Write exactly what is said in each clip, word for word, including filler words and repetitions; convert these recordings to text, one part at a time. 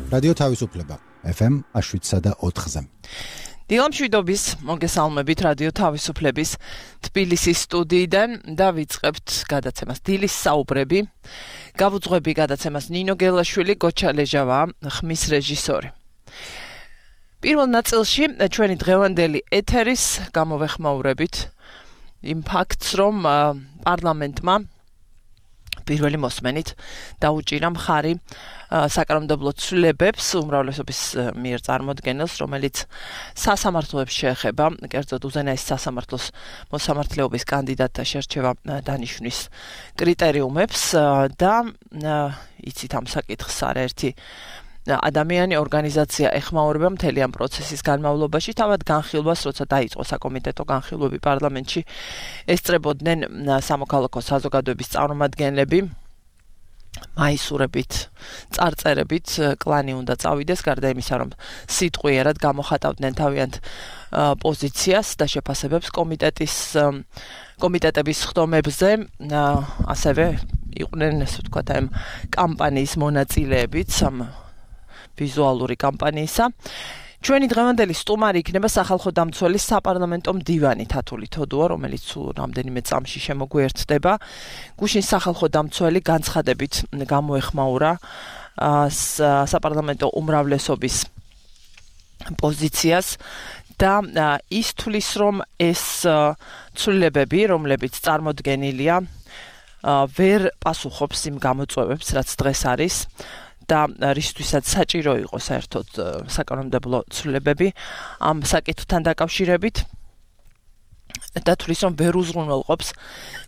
რადიო თავისუფლება ეფ ემ შვიდსა და ოთხზე. დილამშვიდობის მოგესალმებით რადიო თავისუფლების თბილისის სტუდიიდან და ვიწყებთ გადაცემას დილის საუბრები. გავუძღვები გადაცემას ნინო გელაშვილი, გოჩა ლეჟავა, ხმის რეჟისორი. პირველ ნაწილში ჩვენი დღევანდელი ეთერის გამოვეხმაურებით იმ ფაქტს, რომ პარლამენტმა პირველი მოსმენით დაუჭირა მხარი საკანონმდებლო ცვლილებებს უმრავლესობის მიერ წარმოდგენილს, რომელიც სასამართლოებს შეეხება, კერძოდ უზენაეს სასამართლოს მოსამართლეობის კანდიდატთა შერჩევა დანიშვნის კრიტერიუმებს და იცით ამ საკითხს არაერთი ადამიანი ორგანიზაცია ეხმაურება მთელი ამ პროცესის განმავლობაში, თავად განხილვას, როცა დაიწყო საკომიტეტო განხილვები პარლამენტში, ესწრებოდნენ სამოქალაქო საზოგადოების წარმომადგენლები, მაისურებით, წარწერებით, კლანი უნდა წავიდეს, გარდა იმისა, რომ სიტყვიერად გამოხატავდნენ თავიანთ პოზიციას და შეფასებებს კომიტეტის კომიტეტების ხდომებზე, ასევე იყვნენ, ასე ვთქვათ, ამ კამპანიის მონაწილეებიც, ამ ვიზუალური კამპანიისა. ჩვენი დღევანდელი სტუმარი იქნება სახალხო დამცველის საპარლამენტო მდივანი თათული თოდუა, რომელიც რამდენიმე წამში შემოგვიერთდება. გუშინ სახალხო დამცველი განცხადებით გამოეხმაურა საპარლამენტო უმრავლესობის პოზიციას და ის თulis, რომ ეს ცვლილებები, რომლებიც წარმოდგენილია, ვერ პასუხობს იმ გამოწვევებს, რაც დღეს არის. და რისთვისაც საჭირო იყო საერთოდ საკანონმდებლო ცვლილებები ამ საკითხთან დაკავშირებით და თulis, რომ ვერ უზრუნველყოფს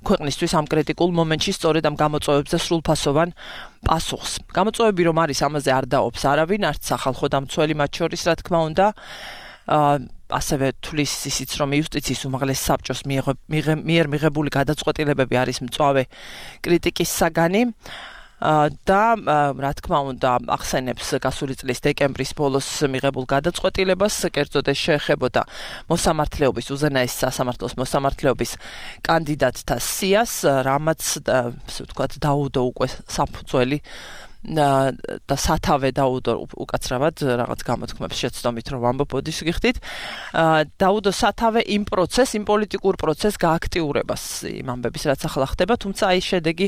ქვეყნისთვის ამ კრიტიკულ მომენტში სწორედ ამ გამოწვევებზე სრულფასოვან პასუხს. გამოწვევები რომ არის, ამაზე არ დაობს არავინ, არც სახალხო დამცველი მათ შორის, რა თქმა უნდა, ასევე თulis ისიც, რომ იუსტიციის უმაღლეს საბჭოს მიერ მიღებული გადაწყვეტილებები არის მწვავე კრიტიკის საგანი. და რა თქმა უნდა ახსენებს გასული წლის დეკემბრის ბოლოს მიღებულ გადაწყვეტილებას, კერძოდ ეს შეეხებოდა მოსამართლეობის, უზენაეს სასამართლოს მოსამართლეობის კანდიდატთა სიას, რამაც ასე ვთქვათ დაუდო უკვე საფუძველი და სათავე დაუდო უკაცრავად რაღაც გამოთქმებს შეცდომით რომ ვამბობოდი სიგიხდით, დაუდო სათავე იმ პროცეს, იმ პოლიტიკურ პროცეს გააქტიურებას იმ ამბების, რაც ახლა ხდება, თუმცა აი შედეგი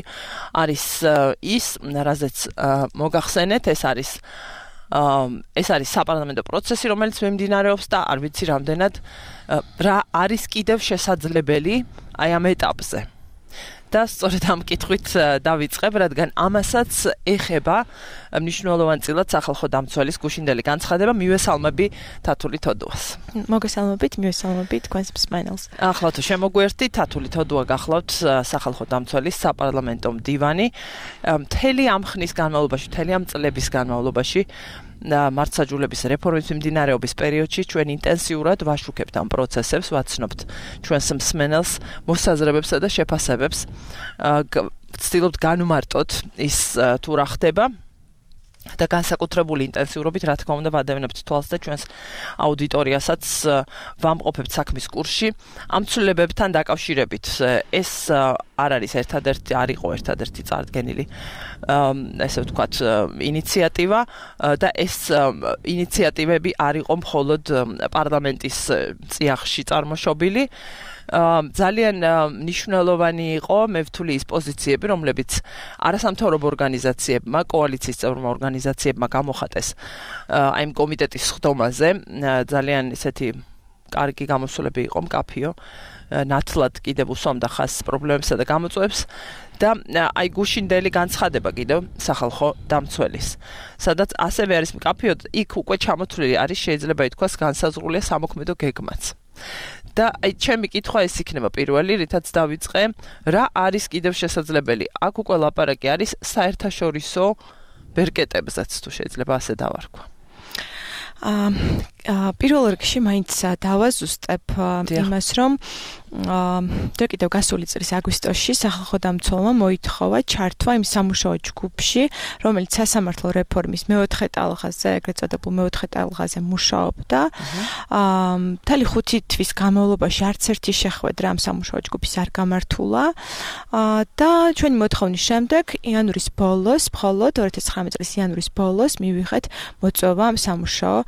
არის ის, რაზეც მოგახსენეთ, ეს არის ეს არის საპარლამენტო პროცესი, რომელიც მიმდინარეობს და არ ვიცი რამდენად რა არის კიდევ შესაძლებელი აი ამ ეტაპზე. და სწორედ ამ კითხვით დავიწყებ, რადგან ამასაც ეხება მნიშვნელოვანწილად სახალხო დამცველის გუშინდელი განცხადება. მივესალმები თათული თოდუას. მოგესალმებით, მივესალმებით თქვენს მსმენელს. ახლა თუ შემოგვერთით, თათული თოდუა გახლავთ სახალხო დამცველის საპარლამენტო მდივანი. მთელი ამ ხნის განმავლობაში, მთელი ამ წლების განმავლობაში მართლმსაჯულების რეფორმის მიმდინარეობის პერიოდში ჩვენ ინტენსიურად ვაშუქებთ ამ პროცესებს, ვაცნობთ ჩვენს მსმენელს მოსაზრებებსა და შეფასებებს, ვცდილობთ განვმარტოთ ის თუ რა ხდება და განსაკუთრებული ინტენსიურობით, რა თქმა უნდა, ვადევნებთ თვალს და ჩვენს აუდიტორიასაც ვამყოფებთ საქმის კურსში ამ ცვლილებებთან დაკავშირებით. ეს არ არის ერთადერთი, არ იყო ერთადერთი წარდგენილი ესე ვთქვათ ინიციატივა და ეს ინიციატივები არ იყო მხოლოდ პარლამენტის წიაღში წარმოშობილი. ძალიან მნიშვნელოვანი იყო, მე ვთვლი, ის პოზიციები, რომლებიც არასამთავრობო ორგანიზაციებმა, კოალიციის წევრმა ორგანიზაციებმა გამოხატეს აი ამ კომიტეტის ხდომაზე. ძალიან ისეთი კარგი გამოსვლები იყო, მკაფიო, ნათლად კიდევ უსვამდა ხაზს პრობლემებსა და გამოწვევებს და აი გუშინდელი განცხადება კიდევ სახალხო დამცველის, სადაც ასევე არის მკაფიო, იქ უკვე ჩამოთვლილი არის, შეიძლება ითქვას, განსაზღვრულია სამოქმედო გეგმაც. და აი ჩემი კითხვა ეს იქნება პირველი, რითაც დავიწყე, რა არის კიდევ შესაძლებელი? აქ უკვე ლაპარაკი არის საერთაშორისო ბერკეტებზეც, თუ შეიძლება ასე დავარქვა. პირველ რიგში მაინც დავაზუსტებ იმას, რომ და კიდევ გასული წლის აგვისტოში სახალხო დამცველმა მოითხოვა ჩართვა იმ სამუშაო ჯგუფში, რომელიც სასამართლო რეფორმის მეოთხე ტალღაზე, ეგრეთ წოდებულ მეოთხე ტალღაზე მუშაობდა. მთელი ხუთი თვის განმავლობაში არც ერთი შეხვედრა ამ სამუშაო ჯგუფის არ გამართულა და ჩვენი მოთხოვნის შემდეგ იანვრის ბოლოს, მხოლოდ ორი ათას ცხრამეტი წლის იანვრის ბოლოს მივიღეთ მოწვევა ამ სამუშაო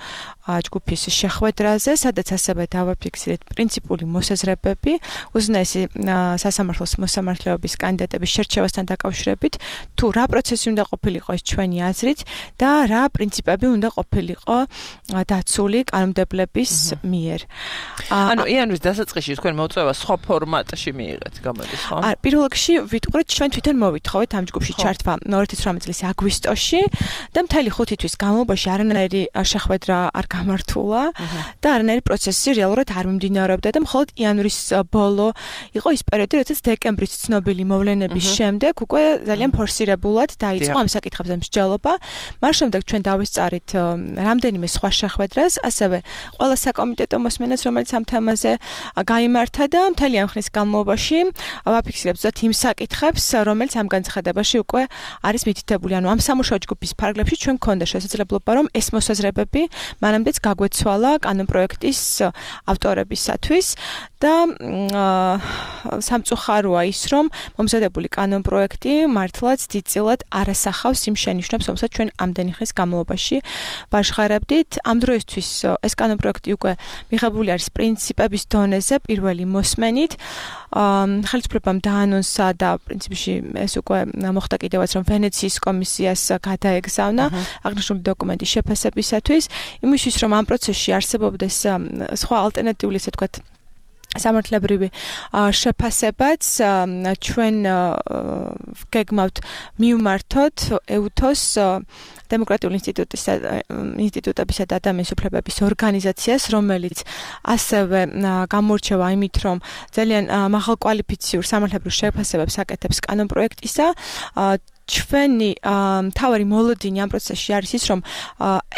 ჯგუფის შეხვედრაზე, სადაც ასევე დავაფიქსირეთ პრინციპული მოსაზრებები უზენაესი სასამართლოს მოსამართლეობის კანდიდატების შერჩევასთან დაკავშირებით, თუ რა პროცესი უნდა ყოფილიყო ეს ჩვენი აზრით და რა პრინციპები უნდა ყოფილიყო დაცული კანონმდებლების მიერ. ანუ იანვრის დასაწყისში თქვენ მოწვევა სხვა ფორმატში მიიღეთ, გამოდის ხო? არა, პირველ რიგში ვიტყურეთ, ჩვენ თვითონ მოვითხოვეთ ამ ჯგუფში ჩართვა ორი ათას ცხრამეტი წლის აგვისტოში და მთელი ხუთი თვის განმავლობაში არანაირი შეხვედრა არ გამართულა და არანაირი პროცესი რეალურად არ მიმდინარეობდა და მხოლოდ იანვრის ბოლო იყო ის პერიოდი, როდესაც დეკემბრის ცნობილი მოვლენების შემდეგ უკვე ძალიან ფორსირებულად დაიწყო ამ საკითხებზე მსჯელობა. მას შემდეგ ჩვენ დავესწარით რამდენიმე სხვა შეხვედრას, ასევე ყველა საკომიტეტო მოსმენას, რომელიც ამ თემაზე გაიმართა და მთელი ამ ხნის განმავლობაში ვაფიქსირებთ ზუსტად იმ საკითხებს, რომელიც ამ განცხადებაში უკვე არის მითითებული. ანუ ამ სამუშაო ჯგუფის ფარგლებში ჩვენ გქონდა შესაძლებლობა, რომ ეს მოსაზრებები მანამდეც გაგვეცვალა კანონპროექტის ავტორებისათვის და სამწუხაროა ის, რომ მომზადებული კანონპროექტი მართლაც დიდწილად არასახავს იმ შენიშვნებს, რომელსაც ჩვენ ამდენი ხნის განმავლობაში ვაჟღარებდით. ამ დროისთვის ეს კანონპროექტი უკვე მიღებული არის პრინციპების დონეზე პირველი მოსმენით. ხელისუფლებამ დაანონსა და პრინციპში ეს უკვე მოხდა კიდევაც, რომ ვენეციის კომისიას გადაეგზავნა აღნიშნული დოკუმენტის შეფასებისათვის, იმისთვის, რომ ამ პროცესში არსებობდეს სხვა ალტერნატიული, ესე ვთქვათ, სამართლებრივი შეფასებაც ჩვენ გეგმავთ მივმართოთ ეუთოს დემოკრატიული ინსტიტუტის ინსტიტუტებისა და ადამიანის უფლებების ორგანიზაციას, რომელიც ასევე გამორჩევა იმით, რომ ძალიან მაღალკვალიფიციურ სამართლებრივ შეფასებებს აკეთებს კანონპროექტისა. ჩვენი მთავარი მოლოდინი ამ პროცესში არის ის, რომ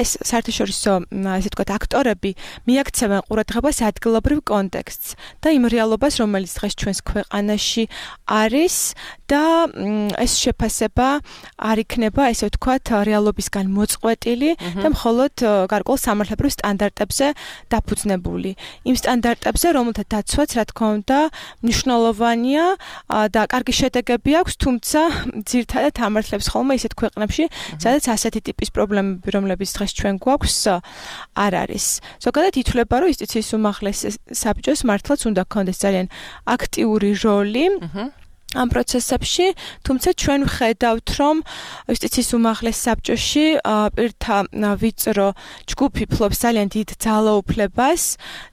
ეს საერთაშორისო, ესე ვთქვათ, აქტორები მიაქცევენ ყურადღებას ადგილობრივ კონტექსტს და იმ რეალობას, რომელიც დღეს ჩვენს ქვეყანაში არის და ეს შეფასება არ იქნება, ესე ვთქვათ, რეალობისგან მოწყვეტილი და მხოლოდ გარკვეულ სამართლებრივ სტანდარტებზე დაფუძნებული. იმ სტანდარტებზე, რომელთა დაცვაც, რა თქმა უნდა, მნიშვნელოვანია და კარგი შედეგები აქვს, თუმცა ძირითადად ამართლებს ხოლმე ისეთ ქვეყნებში, სადაც ასეთი ტიპის პრობლემები, რომლებიც დღეს ჩვენ გვაქვს, არ არის. ზოგადად ითვლება, რომ იუსტიციის უმაღლეს საბჭოს მართლაც უნდა ჰქონდეს ძალიან აქტიური როლი ამ პროცესებში, თუმცა ჩვენ ვხედავთ, რომ იუსტიციის უმაღლეს საბჭოში პირთა ვიწრო ჯგუფი ფლობს ძალიან დიდ ძალაუფლებას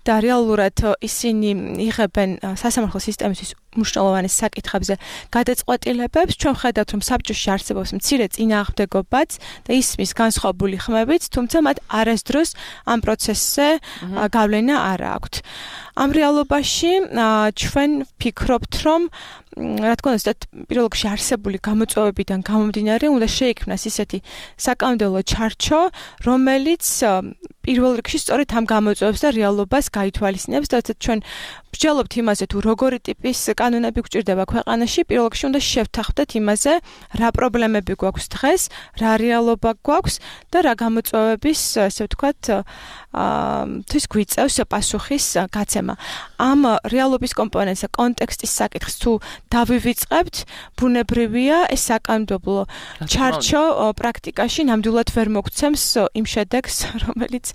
და რეალურად ისინი იღებენ სასამართლო სისტემისთვის მნიშვნელოვანეს საკითხებზე გადაწყვეტილებებს. ჩვენ ვხედავთ, რომ საბჭოში არსებობს მცირე წინააღმდეგობაც და ისმის განსხვავებული ხმებიც, თუმცა მათ არასდროს ამ პროცესზე გავლენა არ აქვთ. ამ რეალობაში ჩვენ ვფიქრობთ, რომ რა თქმა უნდა, პირველ რიგში არსებული გამოწვევებიდან გამომდინარე, უნდა შეიქმნას ისეთი საკანონმდებლო ჩარჩო, რომელიც პირველ რიგში სწორედ ამ გამოწვევებს და რეალობას გაითვალისწინებს და ჩვენ ვსჯელობთ იმაზე, თუ როგორი ტიპის კანონები გვჭირდება ქვეყანაში, პირველ რიგში უნდა შევთანხმდეთ იმაზე, რა პრობლემები გვაქვს დღეს, რა რეალობა გვაქვს და რა გამოწვევების, ასე ვთქვათ, თვის გვიწევს პასუხის გაცემა. ამ რეალობის კომპონენტსა, კონტექსტის საკითხს თუ დავივიწყებთ, ბუნებრივია ეს საკანონმდებლო ჩარჩო პრაქტიკაში ნამდვილად ვერ მოგცემს იმ შედეგს, რომელიც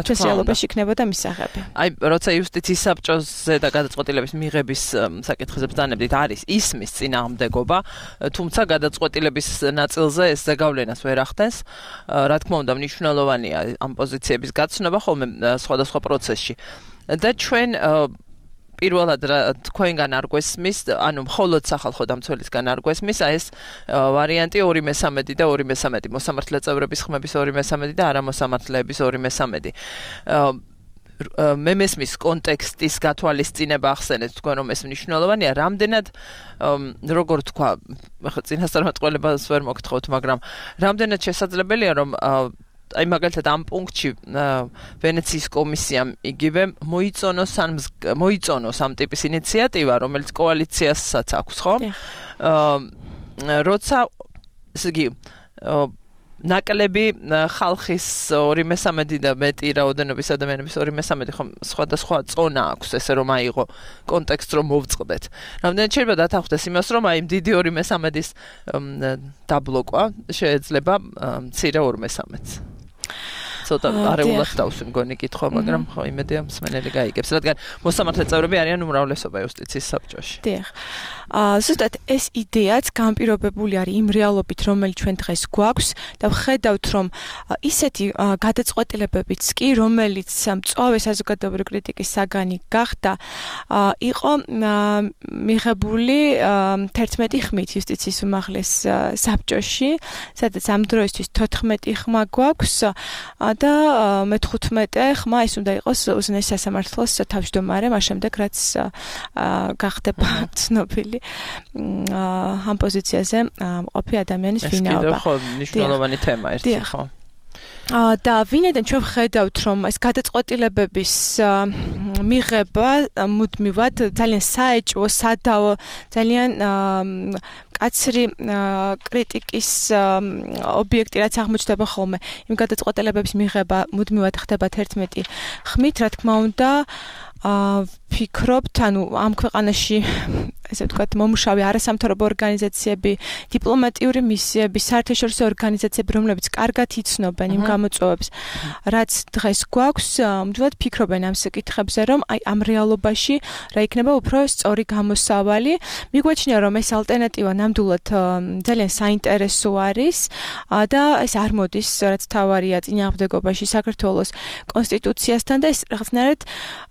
ჩვენს რეალობაში იქნებოდა მისაღები. აი, როცა იუსტიციის საბჭოზე და გადაწყვეტილების მიღების საკითხებზე ბრძანებდით, არის ისმის წინააღმდეგობა, თუმცა გადაწყვეტილების ნაწილზე ეს ზეგავლენას ვერ ახდენს. რა თქმა უნდა, მნიშვნელოვანია ამ პოზიციების გაცნობა ხოლმე სხვადასხვა პროცესში. და ჩვენ პირველად თქვენგან არ გვესმის, ანუ მხოლოდ სახალხო დამცველისგან არ გვესმის, აი ეს ვარიანტი ორი მესამედი და ორი მესამედი, მოსამართლე წევრების ხმების ორი მესამედი და არამოსამართლეების ორი მესამედი. მე მესმის კონტექსტის გათვალისწინება ახსენეთ თქვენ, რომ ეს მნიშვნელოვანია, რამდენად როგორ თქვა, ახლა წინასწარმეტყველებას ვერ მოგთხოვთ, მაგრამ რამდენად შესაძლებელია, რომ აი მაგალითად ამ პუნქტში ვენეციის კომისიამ იგივე მოიწონოს ან მოიწონოს ამ ტიპის ინიციატივა, რომელიც კოალიციასაც აქვს, ხო? აა როცა ესე იგი ნაკლები ხალხის ორი მესამედი და მეტი რაოდენობის ადამიანების ორი მესამედი ხომ სხვადასხვა წონა აქვს, ესე რომ აიღო კონტექსტ რომ მოვწყდეთ. რამდენად შეიძლება დათანხმდეს იმას, რომ აი დიდი ორი მესამედის დაბლოკვა შეიძლება მცირე ორ მესამედს. ცოტა არეულად დავსვი მგონი კითხვა, მაგრამ ხო იმედია მსმენელი გაიგებს, რადგან მოსამართლე წევრები არიან უმრავლესობა იუსტიციის საბჭოში. დიახ. აა ზუსტად ეს იდეაც განპირობებული არის იმ რეალობით, რომელიც ჩვენ დღეს გვაქვს და ვხედავთ, რომ ისეთი გადაწყვეტილებებიც კი, რომელიც მწვავე საზოგადოებრივი კრიტიკის საგანი გახდა, იყო მიღებული თერთმეტი ხმით იუსტიციის უმაღლეს საბჭოში, სადაც ამ დროისთვის თოთხმეტი ხმა გვაქვს და მეთხუთმეტე ხმა ის უნდა იყოს უზენაეს სასამართლოს თავმჯდომარე, მას შემდეგ რაც გახდება ცნობილი ამ პოზიციაზე მყოფი ადამიანის ვინაობა. ეს კიდევ ხო მნიშვნელოვანი თემა ერთი ხო. და ვინაიდან ჩვენ ვხედავთ, რომ ეს გადაწყვეტილებების მიღება მუდმივად ძალიან საეჭვო, სადავო, ძალიან კაცრი კრიტიკის ობიექტი რაც აღმოჩნდება ხოლმე. იმ გადაწყვეტილებების მიღება მუდმივად ხდება თერთმეტი ხმით, რა თქმა უნდა, აა ფიქრობთ, ანუ ამ ქვეყანაში ესე ვთქვათ, მომუშავე არასამთავრობო ორგანიზაციები, დიპლომატიური მისიები, საერთაშორისო ორგანიზაციები, რომლებიც კარგად იცნობენ იმ გამოწვევებს, რაც დღეს გვაქვს, მუდმივად ფიქრობენ ამ საკითხებზე, რომ აი ამ რეალობაში რა იქნება უფრო სწორი გამოსავალი. მიგვაჩნია, რომ ეს ალტერნატივა ნამდვილად ძალიან საინტერესო არის და ეს არ მოდის, რაც თავარია წინააღმდეგობაში საქართველოს კონსტიტუციასთან და ეს რაღაცნაირად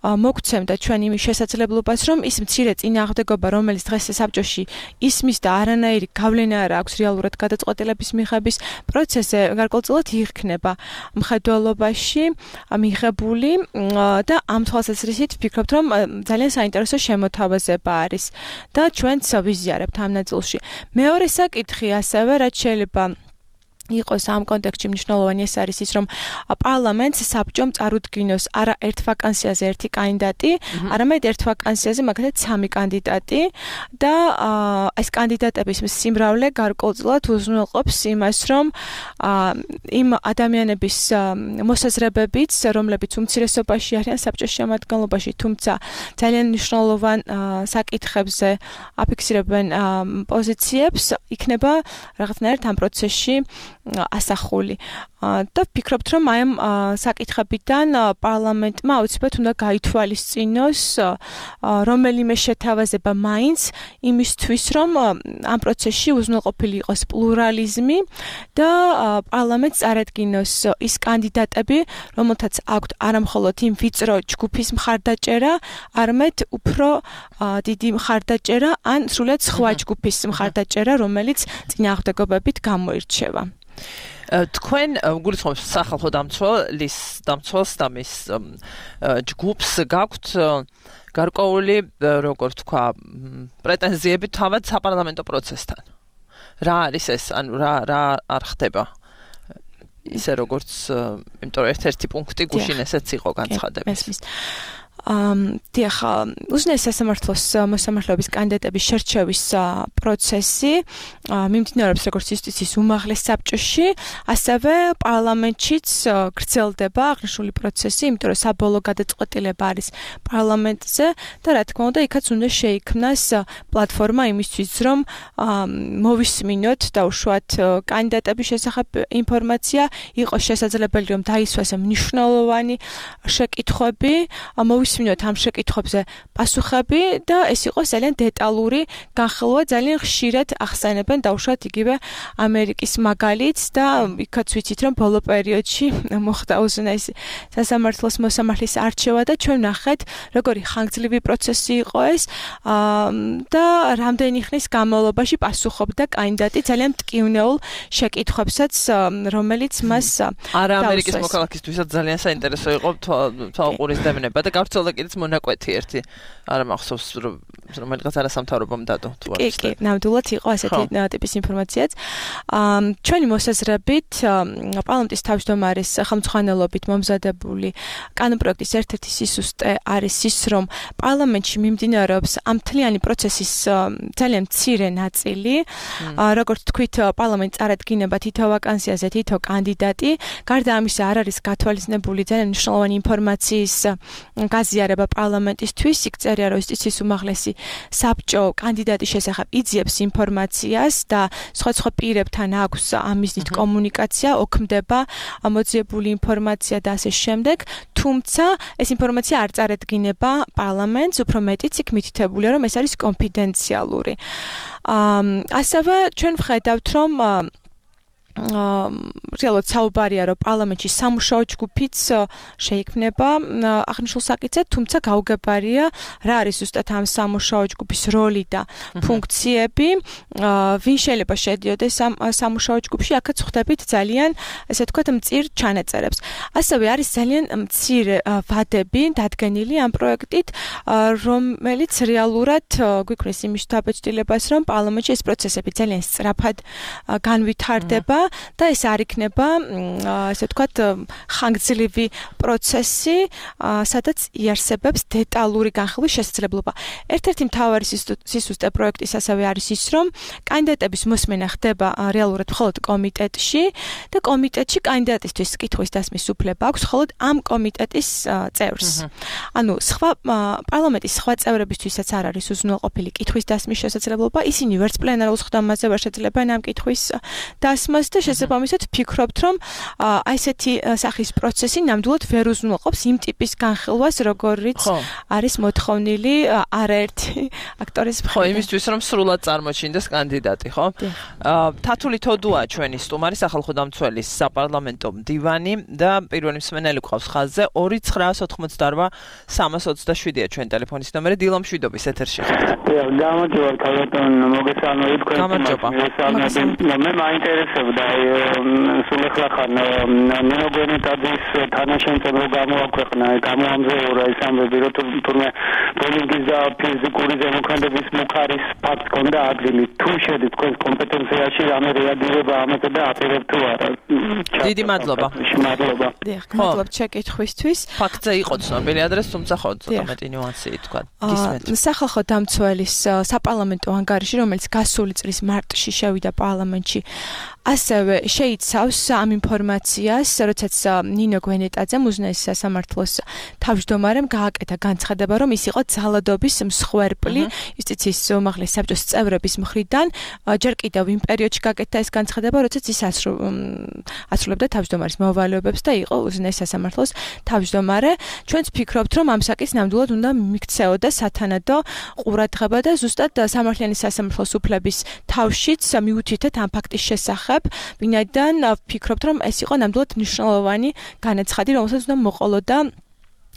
მოგცემდა ჩვენ იმის შესაძლებლობას, რომ ის მცირე წინააღმდეგობა, რომელიც დღეს საბჭოში ისმის და არანაირი გავლენა არ აქვს რეალურად გადაწყვეტილების მიღების პროცესზე, გარკვეულწილად იქნება მხედველობაში მიღებული და ამ თვალსაზრისით ვფიქრობთ, რომ ძალიან საინტერესო შემოთავაზება არის და ჩვენც ვიზიარებთ ამ ნაწილში. მეორე საკითხი ასევე, რაც შეიძლება იყოს ამ კონტექსტში მნიშვნელოვანი ეს არის ის, რომ პარლამენტს საბჭომ წარუდგინოს არა ერთ ვაკანსიაზე ერთი კანდიდატი, არამედ ერთ ვაკანსიაზე მაგალითად სამი კანდიდატი და ეს კანდიდატების სიმრავლე გარკვეულწილად უზრუნველყოფს იმას, რომ იმ ადამიანების მოსაზრებებიც, რომლებიც უმცირესობაში არიან საბჭოს შემადგენლობაში, თუმცა ძალიან მნიშვნელოვან საკითხებზე აფიქსირებენ პოზიციებს, იქნება რაღაცნაირად ამ პროცესში ასახული. და ვფიქრობთ, რომ აი ამ საკითხებიდან პარლამენტმა აუცილებლად უნდა გაითვალისწინოს რომელიმე შეთავაზება მაინც იმისთვის, რომ ამ პროცესში უზრუნველყოფილი იყოს პლურალიზმი და პარლამენტს წარადგინოს ის კანდიდატები, რომელთაც აქვთ არამხოლოდ იმ ვიწრო ჯგუფის მხარდაჭერა, არამედ უფრო დიდი მხარდაჭერა ან სრულად სხვა ჯგუფის მხარდაჭერა, რომელიც წინააღმდეგობებით გამოირჩევა. თქვენ გულისხმობთ სახალხო დამცველის დამცველს და მის ჯგუფს გაქვთ გარკვეული, როგორ ვთქვა, პრეტენზიები თავად საპარლამენტო პროცესთან. რა არის ეს? ანუ რა რა არ ხდება? ისე როგორც, იმიტომ რომ ერთ-ერთი პუნქტი გუშინ ესეც იყო განცხადების. Um, დიახ, უზენაეს სასამართლოს მოსამართლეობის კანდიდატების შერჩევის პროცესი მიმდინარეობს როგორც იუსტიციის უმაღლეს საბჭოში, ასევე პარლამენტშიც გრძელდება აღნიშნული პროცესი, იმიტომ რომ საბოლოო გადაწყვეტილება არის პარლამენტზე და რა თქმა უნდა, იქაც უნდა შეიქმნას პლატფორმა იმისთვის, რომ მოვისმინოთ და უშუალოდ კანდიდატების შესახებ ინფორმაცია, იყოს შესაძლებელი, რომ დაისვას მნიშვნელოვანი შეკითხვები, მოვისმინოთ ამ შეკითხვებზე პასუხები და ეს იყოს ძალიან დეტალური განხილვა, ძალიან ხშირად ახსენებენ დაუშვათ იგივე ამერიკის მაგალითს და იქაც ვიცით, რომ ბოლო პერიოდში მოხდა უზენაეს სასამართლოს მოსამართლის არჩევა და ჩვენ ნახეთ, როგორი ხანგრძლივი პროცესი იყო ეს და რამდენი ხნის განმავლობაში პასუხობდა კანდიდატი ძალიან მტკივნეულ შეკითხვებსაც, რომელიც მას არა ამერიკის მოქალაქისთვისაც ძალიან საინტერესო იყო თვალყურის დევნება და გავრცელდა და კიდეც მონაკვეთი ერთი არა მახსოვს რომ რომელიღაც არასამთავრობომ დადო თუ არის. კი, კი, ნამდვილად იყო ასეთი ტიპის ინფორმაციაც. ჩვენი მოსაზრებით პარლამენტის თავმჯდომარის ხელმძღვანელობით მომზადებული კანონპროექტის ერთ-ერთი სისუსტე არის ის, რომ პარლამენტში მიმდინარეობს ამ მთლიანი პროცესის ძალიან მცირე ნაწილი. როგორც თქვით, პარლამენტს წარადგინება თითო ვაკანსიაზე თითო კანდიდატი. გარდა ამისა, არ არის გათვალისწინებული ძალიან მნიშვნელოვანი ინფორმაციის გაზიარება პარლამენტისთვის. იქ წერია, რომ იუსტიციის უმაღლესი საბჭო კანდიდატის შესახებ იძიებს ინფორმაციას და სხვა სხვა პირებთან აქვს ამ მიზნით კომუნიკაცია, ოქმდება მოძიებული ინფორმაცია და ასე შემდეგ. თუმცა ეს ინფორმაცია არ წარადგინება პარლამენტს, უფრო მეტიც იქ მითითებულია, რომ ეს არის კონფიდენციალური. ასევე ჩვენ ვხედავთ, რომ რეალურად საუბარია, რომ პარლამენტში სამუშაო ჯგუფიც შეიქმნება აღნიშნულ საკითხზე, თუმცა გაუგებარია რა არის ზუსტად ამ სამუშაო ჯგუფის როლი და ფუნქციები, ვინ შეიძლება შედიოდეს ამ სამუშაო ჯგუფში, აქაც ვხვდებით ძალიან, ესე ვთქვათ, მწირ ჩანაწერებს. ასევე არის ძალიან მცირე ვადები დადგენილი ამ პროექტით, რომელიც რეალურად გვიქმნის იმის დაბეჭდილებას, რომ პარლამენტში ეს პროცესები ძალიან სწრაფად განვითარდება. და ეს არ იქნება, ასე ვთქვათ, ხანგრძლივი პროცესი, სადაც იარსებებს დეტალური განხილვის შესაძლებლობა. ერთ-ერთი მთავარი სისუსტე პროექტის ასევე არის ის, რომ კანდიდატების მოსმენა ხდება რეალურად მხოლოდ კომიტეტში და კომიტეტში კანდიდატისთვის კითხვის დასმის უფლება აქვს მხოლოდ ამ კომიტეტის წევრს. ანუ სხვა პარლამენტის სხვა წევრებისთვისაც არ არის უზრუნველყოფილი კითხვის დასმის შესაძლებლობა, ისინი ვერც პლენარულ ხდომაზე ვერ შეძლებენ ამ კითხვის დასმას და შესაბამისად ვფიქრობთ, რომ აი ესეთი სახის პროცესი ნამდვილად ვერ უზრუნველყოფს იმ ტიპის განხილვას, როგორიც არის მოთხოვნილი არაერთი აქტორის მხრიდან. ხო, იმისთვის რომ სრულად წარმოჩინდეს კანდიდატი, ხო? თათული თოდუა ჩვენი სტუმარი, სახალხო დამცველის საპარლამენტო მდივანი და პირველი მსმენელი გვყავს ხაზზე ორი ცხრაას ოთხმოცდაორვა სამას ოცდაშვიდია ჩვენი ტელეფონის ნომერი. დილა მშვიდობის ეთერში ხართ. გამარჯობა, ქალბატონ, მოგესალმებით თქვენ. გამარჯობა. მე მაინტერესებდა სულ ახლა ხან ნეოგენეტადის თანაშემწებრო გამოაქვეყნა, გამოამზეურა ეს ამბები, რომ თურმე პოლინგის და ფიზიკური ზემოქმედების მუხარის ფაქტ კონდა ადგილი. თუ შედის თქვენს კომპეტენციაში, რამე რეაგირება ამაზე და აპირებ თუ არა. დიდი მადლობა. მადლობა. დიახ, მადლობა ჩეკითხვისთვის. ფაქტზე იყო ცნობილი ადრეს, თუმცა ხო ცოტა მეტი ნიუანსი თქვა. გისმენთ. სახალხო დამცველის საპარლამენტო ანგარიში, რომელიც გასული წლის მარტში შევიდა პარლამენტში, ასევე შეიცავს ამ ინფორმაციას, როდესაც ნინო გვენეტაძემ უზენაეს სასამართლოს თავმჯდომარემ გააკეთა განცხადება, რომ ის იყო ძალადობის მსხვერპლი იუსტიციის უმაღლეს საბჭოს წევრების მხრიდან. ჯერ კიდევ იმ პერიოდში გააკეთა ეს განცხადება, როდესაც ის ასრულებდა თავმჯდომარის მოვალეობებს და იყო უზენაეს სასამართლოს თავმჯდომარე. ჩვენც ვფიქრობთ, რომ ამ საკითხს ნამდვილად უნდა მიქცეოდა სათანადო ყურადღება და ზუსტად სამართლიანი სასამართლოს უფლების თავშიც მიუთითეთ ამ ფაქტის შესახებ. ვინაიდან ვფიქრობთ, რომ ეს იყო ნამდვილად მნიშვნელოვანი განაცხადი, რომელსაც უნდა მოყოლოდა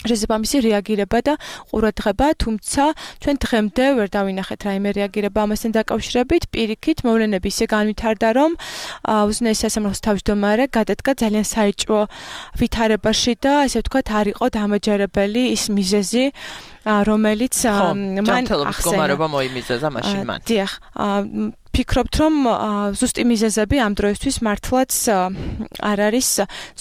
შესაბამისი რეაგირება და ყურადღება, თუმცა ჩვენ დღემდე ვერ დავინახეთ რაიმე რეაგირება ამასთან დაკავშირებით. პირიქით, მოვლენები ისე განვითარდა, რომ უზენაეს სასამართლოს თავმჯდომარე გადადგა ძალიან საეჭვო ვითარებაში და ასე ვთქვათ, არ იყო დამაჯერებელი ის მიზეზი, რომელიც მან ახსენა. მოიმიზეზა მაშინ მან. დიახ, ვფიქრობთ, რომ ზუსტი მიზეზები ამ დროისთვის მართლაც არ არის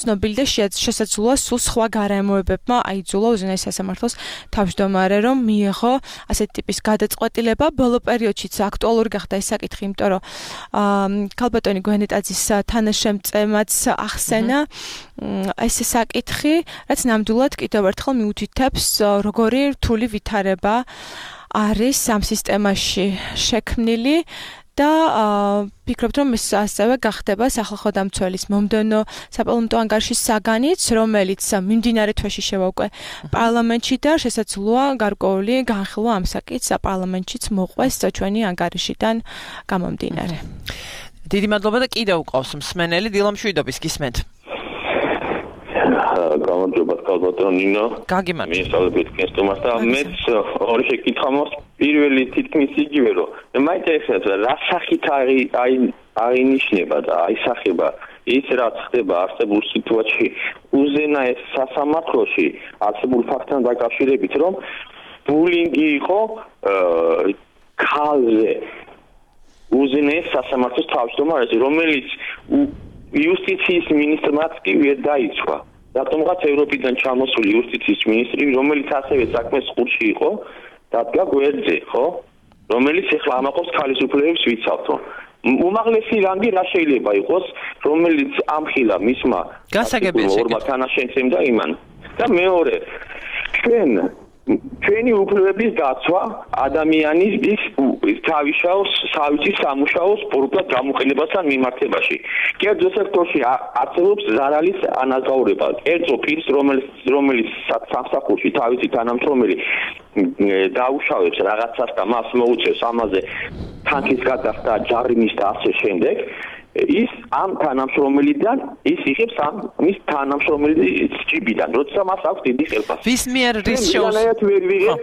ცნობილი და შესაძლოა სულ სხვა გარემოებებმა აიძულა უზენაეს სასამართლოს თავმჯდომარე, რომ მიიღო ასეთი ტიპის გადაწყვეტილება. ბოლო პერიოდშიც აქტუალური გახდა ეს საკითხი, იმიტომ რომ ქალბატონი გვენეტაძის თანაშემწემაც ახსენა ეს საკითხი, რაც ნამდვილად კიდევ ერთხელ მიუთითებს, როგორი რთული ვითარება არის ამ სისტემაში შექმნილი. და ვფიქრობთ, რომ ეს ასევე გახდება სახალხო დამცველის მომდევნო საპარლამენტო ანგარიშის საგანიც, რომელიც მიმდინარე თვეში შევავკვე პარლამენტში და შესაძლოა გარკვეული განხილვა ამ საკითხს პარლამენტშიც მოყვეს ჩვენი ანგარიშიდან გამომდინარე. დიდი მადლობა და კიდევ უყავს მსმენელი. დილა მშვიდობის, გისმენთ. გამარჯობა, ქალბატონ ნინო. გაგიმარჯობა. მისალებით კენსტომას და მეც ორი შეკითხვა მაქვს. პირველი თითქმის იგივე, რომ მე მაინტერესებს რა სახით არის აი აღინიშნება და აისახება ის რაც ხდება არსებულ სიტუაციაში უზენაეს სასამართლოში არსებულ ფაქტთან დაკავშირებით რომ ბულინგი იყო ქალზე უზენაეს სასამართლოს თავმჯდომარე რომელიც იუსტიციის მინისტრმაც კი ვერ დაიცვა რატომღაც ევროპიდან ჩამოსული იუსტიციის მინისტრი რომელიც ასევე საქმეს ყურში იყო დადგა გვერდზე ხო რომელიც ეხლა ამაყობს ქალის უფლებებს ვიცავთო უმაღლესი რანგი რა შეიძლება იყოს რომელიც ამხილა მისმა ორმა თანაშემწემ და იმან და მეორე ჩვენ ჩვენი უფლებების დაცვა ადამიანის თავისაოს სავითის სამუშაო სპორტად გამოყენებასთან მიმართებაში. კერძო სექტორში არსებობს ზარალის ანაზღაურება. კერძო პირს რომელიც რომელიც სამსახურში თავისი თანამშრომელი დაუშავებს რაღაცას და მას მოუწევს ამაზე თანხის გადახდა, ჯარიმის და ასე შემდეგ ის ამ თანამშრომელიდან ის იღებს ამ მის თანამშრომელის ჯიბიდან, როცა მას აქვს დიდი ხელფასი. ვის მიერ რის შეუძლებლობა?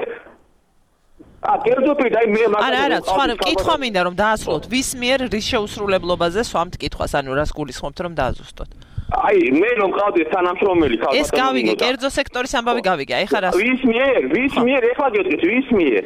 ა კერძო პირ და მე მაგას არა არა, სხვა კითხვა მინდა რომ დაასრულოთ. ვის მიერ რის შეუსრულებლობაზე სვამთ კითხვას, ანუ რას გულისხმობთ რომ დააზუსტოთ? აი, მე რომ ყავდი თანამშრომელი ქალბატონი. ეს გავიგე, კერძო სექტორის ამბავი გავიგე. აი ხა რას? ვის მიერ, ვის მიერ ეხლა გეტყვით, ვის მიერ?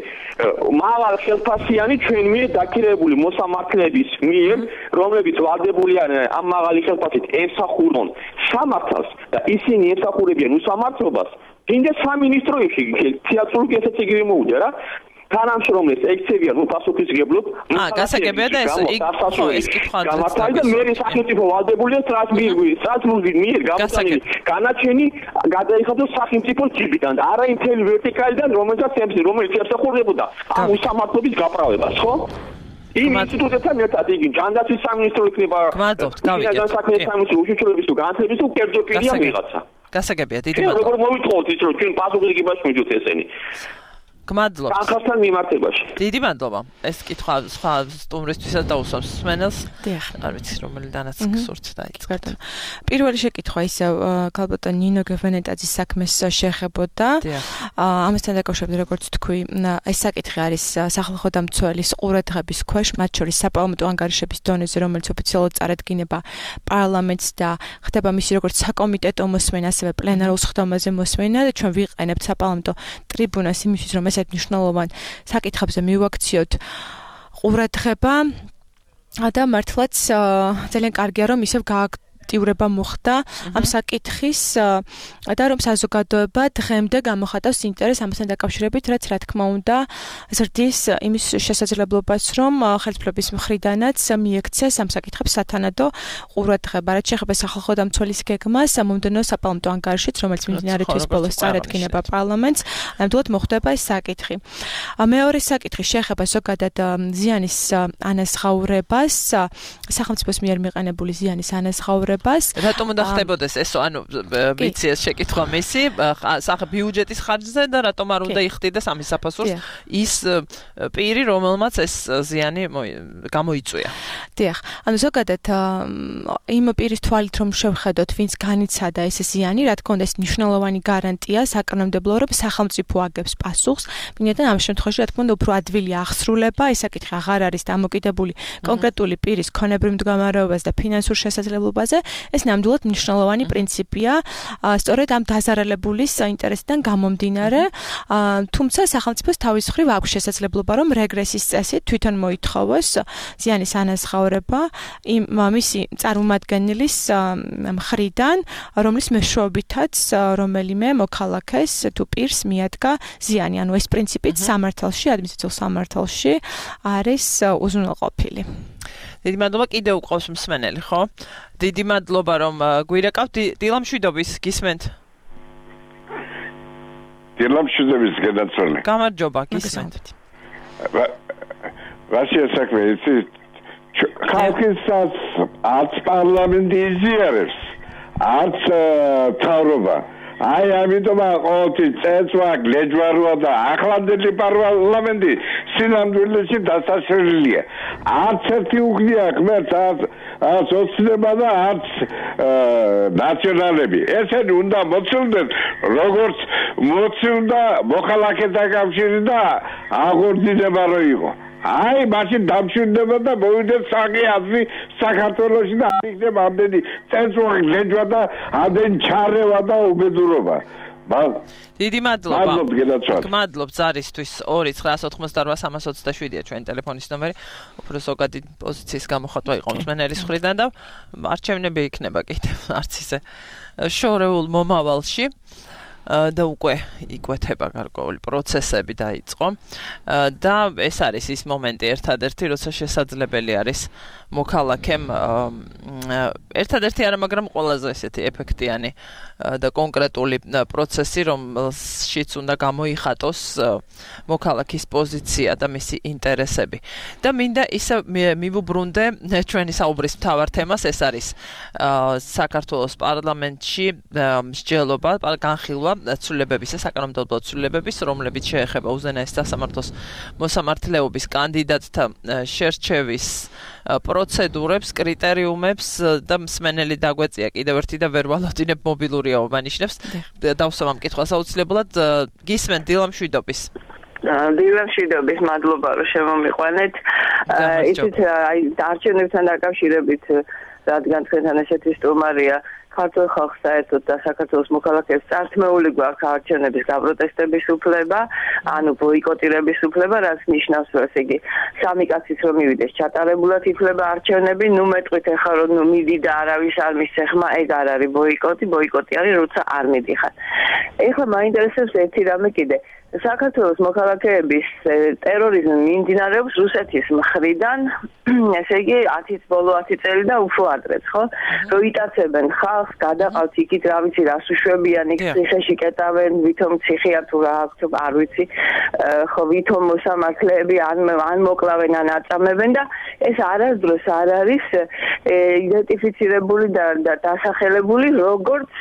მაღალ ხელფასიანი ჩვენ მიერ დაქირებული მოსამართლეების მიერ, რომლებიც ვალდებულიან ამ მაღალი ხელფასით ემსახურონ სამართალს და ისინი ემსახურებიან უსამართლობას. კიდე სამინისტროებში თეატრული ესეც იგივე მოუწია რა. თანამშრომლებს ექცევიან უპასუხისმგებლობ. აა, გასაგებია და ეს ხო ეს კითხვა გამართალი და მე სახელმწიფო ვალდებულია სტრასბურგის სტრასბურგის მიერ გამოსანილი განაჩენი გადაიხადოს სახელმწიფოს ჯიბიდან და არა იმ თელი ვერტიკალიდან რომელსაც რომელიც ემსახურებოდა ამ უსამართლობის გაправებას, ხო? იმ ინსტიტუტებთან ერთად იგი ჯანდაცვის სამინისტრო იქნება. გმადლობთ, გავიგეთ. განსაკუთრებით სამინისტრო უშუქრების თუ განათლების თუ კერძო პირია ვიღაცა. გასაგებია, დიდი მადლობა. როგორ მოვიტყოთ ის რომ ჩვენ პასუხისმგებლობას მივიდოთ ესენი. გმადლობთ. თანხასთან მიმართებაში. დიდი მადლობა. ეს კითხვა სხვა სტუმრისთვისაც დაუსვამს მსმენელს. დიახ. არ ვიცი რომელიდანაც გსურთ დაიწყოთ. პირველი შეკითხვა ისევ ქალბატონ ნინო გევენეტაძის საქმეს შეეხებოდა. ამასთან დაკავშირებით როგორც თქვი, ეს საკითხი არის სახალხო დამცველის ყურადღების ქვეშ, მათ შორის საპარლამენტო ანგარიშების დონეზე, რომელიც ოფიციალურად წარადგინება პარლამენტს და ხდება მისი როგორც საკომიტეტო მოსმენა, ასევე პლენარულ სხდომაზე მოსმენა და ჩვენ ვიყენებთ საპარლამენტო ტრიბუნას იმისთვის, რომ ესეთ მნიშვნელოვან საკითხებზე მივაქციოთ ყურადღება და მართლაც ძალიან კარგია რომ ისევ გააქტიურება მოხდა ამ საკითხის და რომ საზოგადოება დღემდე გამოხატავს ინტერესს ამასთან დაკავშირებით, რაც რა თქმა უნდა ზრდის იმის შესაძლებლობას, რომ ხელისუფლების მხრიდანაც მიექცეს ამ საკითხებს სათანადო ყურადღება, რაც შეეხება სახალხო დამცველის გეგმას, მომდევნო საპარლამენტო ანგარიშიც, რომელიც მიმდინარე თვის ბოლოს წარადგინება პარლამენტს, ნამდვილად მოხდება ეს საკითხი. მეორე საკითხი შეეხება ზოგადად ზიანის ანაზღაურებას, სახელმწიფოს მიერ მიყენებული ზიანის ანაზღაურებას. რატომ უნდა ხდებოდეს ეს, ანუ ვიცი ეს შეკითხვა მისი, სახე ბიუჯეტის ხარჯზე და რატომ არ უნდა იხდიდეს ამის საფასურს ის პირი, რომელმაც ეს ზიანი გამოიწვია. დიახ, ანუ ზოგადად იმ პირის თვალით რომ შევხედოთ, ვინც განიცადა ეს ზიანი, რა თქმა უნდა ეს მნიშვნელოვანი გარანტია საკანონმდებლო, რომ სახელმწიფო აგებს პასუხს, ვინაიდან ამ შემთხვევაში რა თქმა უნდა უფრო ადვილი აღსრულება, ეს საკითხი აღარ არის დამოკიდებული კონკრეტული პირის ქონებრივ მდგომარეობაზე და ფინანსურ შესაძლებლობაზე, ეს ნამდვილად მნიშვნელოვანი პრინციპია, სწორედ ამ დაზარალებულის ინტერესიდან გამომდინარე, თუმცა სახელმწიფოს თავის მხრივ აქვს შესაძლებლობა, რომ რეგრესის წესით თვითონ მოითხოვოს ზიანის ანაზღაურება იმ მისი წარმომადგენლის მხრიდან, რომლის მეშვეობითაც რომელიმე მოქალაქეს თუ პირს მიადგა ზიანი, ანუ ეს პრინციპით სამართალში, ადმინისტრაციულ სამართალში არის უზრუნველყოფილი. დიდი მადლობა, კიდევ უყავს მსმენელი, ხო? დიდი მადლობა რომ გვირეკავთ. დილამშვიდობის გისმენთ? დილამშვიდობის გადაცვალე. გამარჯობა, გისმენთ. რაშია საქმე, იცი? ხალხისაც არც პარლამენტი იზიარებს, არც მთავრობა. აი ამიტომ ყოველთვის წეცვა, გლეჯვაროა და ახლანდელი პარლამენტი სინამდვილეში დასაშლელია. არც ერთი უგნია ღმერთს, არც ოცნება და არც ნაციონალები. ესენი უნდა მოცილდნენ, როგორც მოცილდა მოხალხეთა კავშირი და აღორძინება რო იყო. აი მაშინ დამშვიდდება და მოვიდეს საკი აზრი საქართველოში და არ იქნება ამდენი წესუხი გლეჯვა და ამდენი ჩარევა და უბედურობა. დიდი მადლობა. მადლობთ გენაცვალ. მადლობთ ზარისთვის ორი ცხრაას ოთხმოცდაოთხ სამას ოცდაშვიდია ჩვენი ტელეფონის ნომერი. უფრო ზოგადი პოზიციის გამოხატვა იყო მსმენელის მხრიდან და არჩევნები იქნება კიდევ არც ისე შორეულ მომავალში. და უკვე იკვეთება გარკვეული პროცესები დაიწყო და ეს არის ის მომენტი ერთადერთი როცა შესაძლებელი არის მოქალაქემ ერთადერთი არა მაგრამ ყველაზე ესეთი ეფექტიანი და კონკრეტული პროცესი რომელშიც უნდა გამოიხატოს მოქალაქის პოზიცია და მისი ინტერესები და მინდა ისე მივუბრუნდე ჩვენი საუბრის მთავარ თემას ეს არის საქართველოს პარლამენტში მსჯელობა განხილვა ცვლილებების საკანონმდებლო ცვლილებების რომლებიც შეეხება უზენაეს სასამართლოს მოსამართლეობის კანდიდატთა შერჩევის პროცედურებს, კრიტერიუმებს და მსმენელი დაგვეწია კიდევ ერთი და ვერ ვალოდინებ მობილურია უბანიშნებს. დავსვამ ამ კითხვას აუცილებლად გისმენთ დილამ შვიდობის. დილამ შვიდობის, მადლობა რომ შემომიყვანეთ. იცით აი არჩევნებთან დაკავშირებით რადგან თქვენთან ესეთი სტუმარია ქართულ ხალხს საერთოდ და საქართველოს მოქალაქეებს წართმეული გვაქვს არჩევნების გაპროტესტების უფლება, ანუ ბოიკოტირების უფლება, რაც ნიშნავს, რომ ესე იგი სამი კაცის რომ მივიდეს ჩატარებულად იფლება არჩევნები, ნუ მეტყვით ახლა რომ ნუ მიდი და არავის არ მისცეხმა, ეგ არ არის ბოიკოტი, ბოიკოტი არის როცა არ მიდიხარ. ეხლა მაინტერესებს ერთი რამე კიდე. საქართველოს მოქალაქეების ტერორიზმი მიმდინარეობს რუსეთის მხრიდან, ესე იგი ათის ბოლო ათი წელი და უფრო ადრეც, ხო? რომ იტაცებენ ხალხს, გადაყავთ იქით რა ვიცი, რას უშვებიან, იქ ციხეში კეტავენ, ვითომ ციხეა თუ რა აქვს, არ ვიცი, ხო ვითომ მოსამართლეები ან ან მოკლავენ, ან აწამებენ და ეს არასდროს არ არის იდენტიფიცირებული და დასახელებული როგორც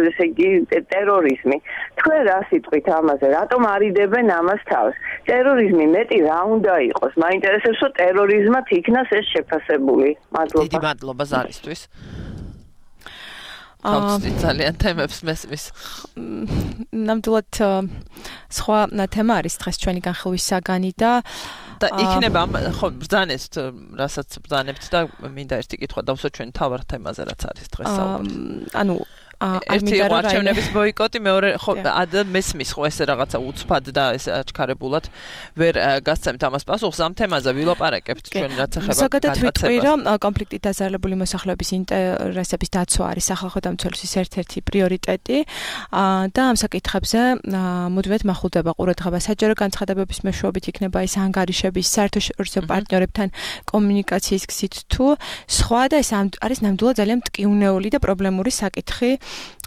ესე იგი ტერორიზმი. თქვენ რა სიტყვით ამაზე, რატომ არიდებენ ამას თავს? ტერორიზმი მეტი რა უნდა იყოს? მაინტერესებს, რომ ტერორიზმად იქნას ეს შეფასებული. მადლობა. დიდი მადლობა ზარისთვის. აუცილებლად ძალიან თემებს მესმის. ნამდვილად სხვა თემა არის დღეს ჩვენი განხილვის საგანი და და იქნება ხო ბრძანეთ რასაც ბრძანებთ და მინდა ერთი კითხვა დავსვა ჩვენ თავარ თემაზე რაც არის დღეს საუბარი. ანუ ერთი არჩევნების ბოიკოტი, მეორე ხო მესმის ხო ესე რაღაცა უცბად და ეს აჩქარებულად ვერ გასცემთ ამას პასუხს ამ თემაზე ვილაპარაკებთ ჩვენ რაც ეხება ზოგადად ვიტყვი რომ კონფლიქტით დაზარალებული მოსახლეობის ინტერესების დაცვა არის სახალხო დამცველობის ერთ-ერთი პრიორიტეტი და ამ საკითხებზე მუდმივად მახულდება ყურადღება საჯარო განცხადებების მეშვეობით იქნება ის ანგარიშების საერთაშორისო პარტნიორებთან კომუნიკაციის გზით თუ სხვა და ეს არის ნამდვილად ძალიან მტკივნეული და პრობლემური საკითხი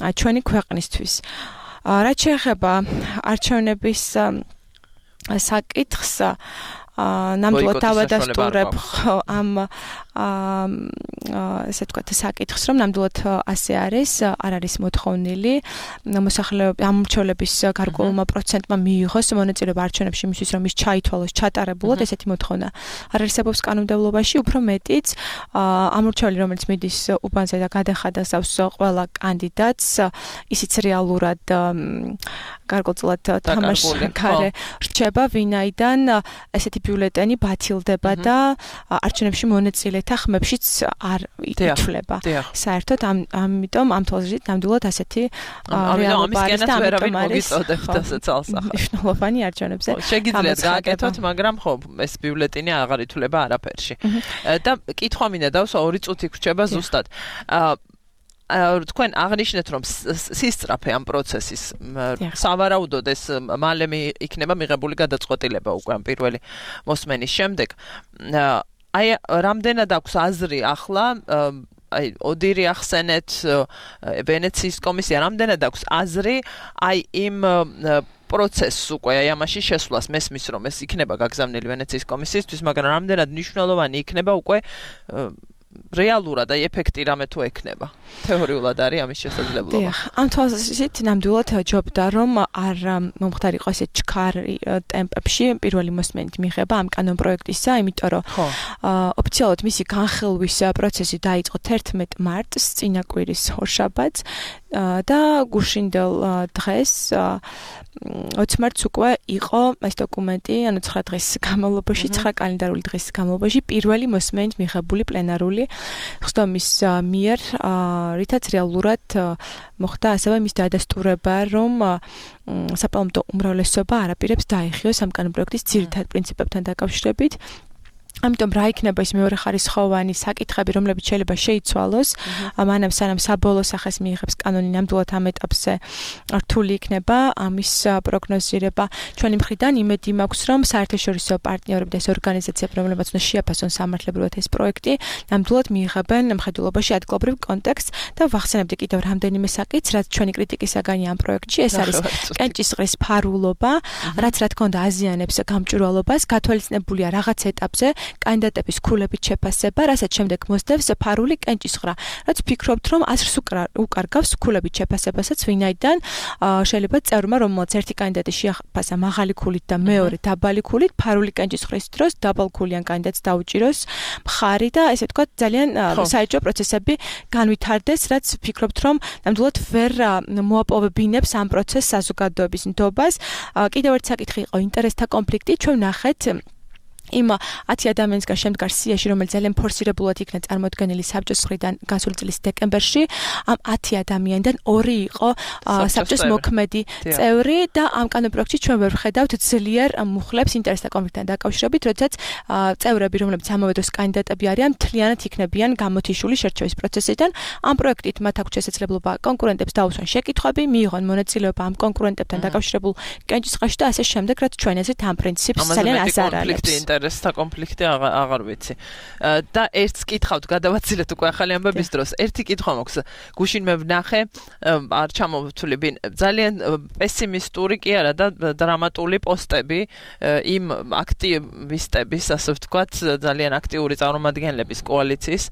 ჩვენი ქვეყნისთვის. რაც შეეხება არჩევნების საკითხს, ნამდვილად დავადასტურებ ამ ესე ვთქვათ საკითხს, რომ ნამდვილად ასე არის, არ არის მოთხოვნილი მოსახლეობის ამორჩევლების გარკვეულმა პროცენტმა მიიღოს მონაწილეობა არჩევნებში იმისთვის, რომ ის ჩაითვალოს ჩატარებულად, ესეთი მოთხოვნა არ არსებობს კანონმდებლობაში, უფრო მეტიც ამორჩეველი, რომელიც მიდის უბანზე და გადახადას აქვს ყველა კანდიდატს, ისიც რეალურად გარკვეულწილად თამაშს ქარე რჩება, ვინაიდან ესეთი ბიულეტენი ბათილდება და არჩევნებში მონაწილეთა ხმებშიც არ ითვლება. საერთოდ ამიტომ ამ თვალსაზრისით ნამდვილად ასეთი რეალობა არის და ამიტომ არის მნიშვნელოვანი არჩევნებზე. შეგიძლიათ გააკეთოთ, მაგრამ ხო ეს ბიულეტენი აღარ ითვლება არაფერში. და კითხვა მინდა დავსვა ორი წუთი გრჩება ზუსტად. თქვენ აღნიშნეთ რომ სისწრაფე ამ პროცესის სავარაუდოდ ეს მალე იქნება მიღებული გადაწყვეტილება უკვე ამ პირველი მოსმენის შემდეგ. აი რამდენად აქვს აზრი ახლა აი ოდირი ახსენეთ ვენეციის კომისია რამდენად აქვს აზრი აი იმ პროცესს უკვე აი ამაში შესვლას მესმის რომ ეს იქნება გაგზავნილი ვენეციის კომისიისთვის, მაგრამ რამდენად მნიშვნელოვანი იქნება უკვე რეალურად აი ეფექტი რამე თუ ექნება. თეორიულად არის ამის შესაძლებლობა. დიახ, ამ თვალსაზრისით ნამდვილად ჯობდა რომ არ მომხდარიყო ესე ჩქარი ტემპებში პირველი მოსმენით მიღება ამ კანონპროექტისა, იმიტომ რომ ოფიციალურად მისი განხილვის პროცესი დაიწყო თერთმეტ მარტს, წინა კვირის ორშაბათს და გუშინდელ დღეს ოცი მარტს უკვე იყო ეს დოკუმენტი, ანუ ცხრა დღის განმავლობაში, ცხრა კალენდარული დღის განმავლობაში პირველი მოსმენით მიღებული პლენარული ხსდომის მიერ, რითაც რეალურად მოხდა ასევე მის დადასტურება, რომ საპარლამენტო უმრავლესობა არ აპირებს დაეხიოს ამ კანონპროექტის ძირითად პრინციპებთან დაკავშირებით. ამიტომ რა იქნება ის მეორე ხარისხოვანი საკითხები, რომლებიც შეიძლება შეიცვალოს, მანამ სანამ საბოლოო სახეს მიიღებს კანონი, ნამდვილად ამ ეტაპზე რთული იქნება ამის პროგნოზირება. ჩვენი მხრიდან იმედი მაქვს, რომ საერთაშორისო პარტნიორები და ეს ორგანიზაციები, რომლებიც უნდა შეაფასონ სამართლებრივად ეს პროექტი, ნამდვილად მიიღებენ მხედველობაში ადგილობრივ კონტექსტს და ვახსენებდი კიდევ რამდენიმე საკითხს, რაც ჩვენი კრიტიკის საგანი ამ პროექტში, ეს არის კენჭისყრის ფარულობა, რაც რა თქმა უნდა აზიანებს გამჭვირვალობას, გათვალისწინებულია რაღაც ეტაპზე კანდიდატების ქულებით შეფასება, რასაც შემდეგ მოსდევს ფარული კენჭისყრა. რაც ვფიქრობთ, რომ აზრს უკარგავს ქულებით შეფასებასაც, ვინაიდან შეიძლება წევრმა, რომელსაც ერთი კანდიდატი შეაფასა მაღალი ქულით და მეორე დაბალი ქულით, ფარული კენჭისყრის დროს დაბალქულიან კანდიდატს დაუჭიროს მხარი და ესე ვთქვათ, ძალიან საეჭვო პროცესები განვითარდეს, რაც ვფიქრობთ, რომ ნამდვილად ვერ მოაპოვებინებს ამ პროცესს საზოგადოების ნდობას. კიდევ ერთი საკითხი იყო ინტერესთა კონფლიქტი, ჩვენ ნახეთ იმ ათი ადამიანისგან შემდგარ სიაში, რომელიც ძალიან ფორსირებულად იქნა წარმოდგენილი საბჭოს მხრიდან გასული წლის დეკემბერში, ამ ათი ადამიანიდან ორი იყო საბჭოს მოქმედი წევრი და ამ კანონპროექტში ჩვენ ვერ ვხედავთ ძლიერ მუხლებს ინტერესთა კონფლიქტთან დაკავშირებით, როდესაც წევრები, რომლებიც ამავე დროს კანდიდატები არიან, მთლიანად იქნებიან გამოთიშული შერჩევის პროცესიდან. ამ პროექტით მათ აქვს შესაძლებლობა კონკურენტებს დაუსვან შეკითხვები, მიიღონ მონაწილეობა ამ კონკურენტებთან დაკავშირებულ კენჭისყრაში და ასე შემდეგ, რაც ჩვენ აზრით ამ პრინციპს ძალიან აზარალებს. ინტერესთა კონფლიქტი აღარ ვიცი. და ერთს კითხავთ, გადავაცილეთ უკვე ახალი ამბების დროს. ერთი კითხვა მაქვს. გუშინ მე ვნახე, არ ჩამოვთვლები, ძალიან პესიმისტური კი არა და დრამატული პოსტები იმ აქტივისტების, ასე ვთქვათ, ძალიან აქტიური წარმომადგენლების კოალიციის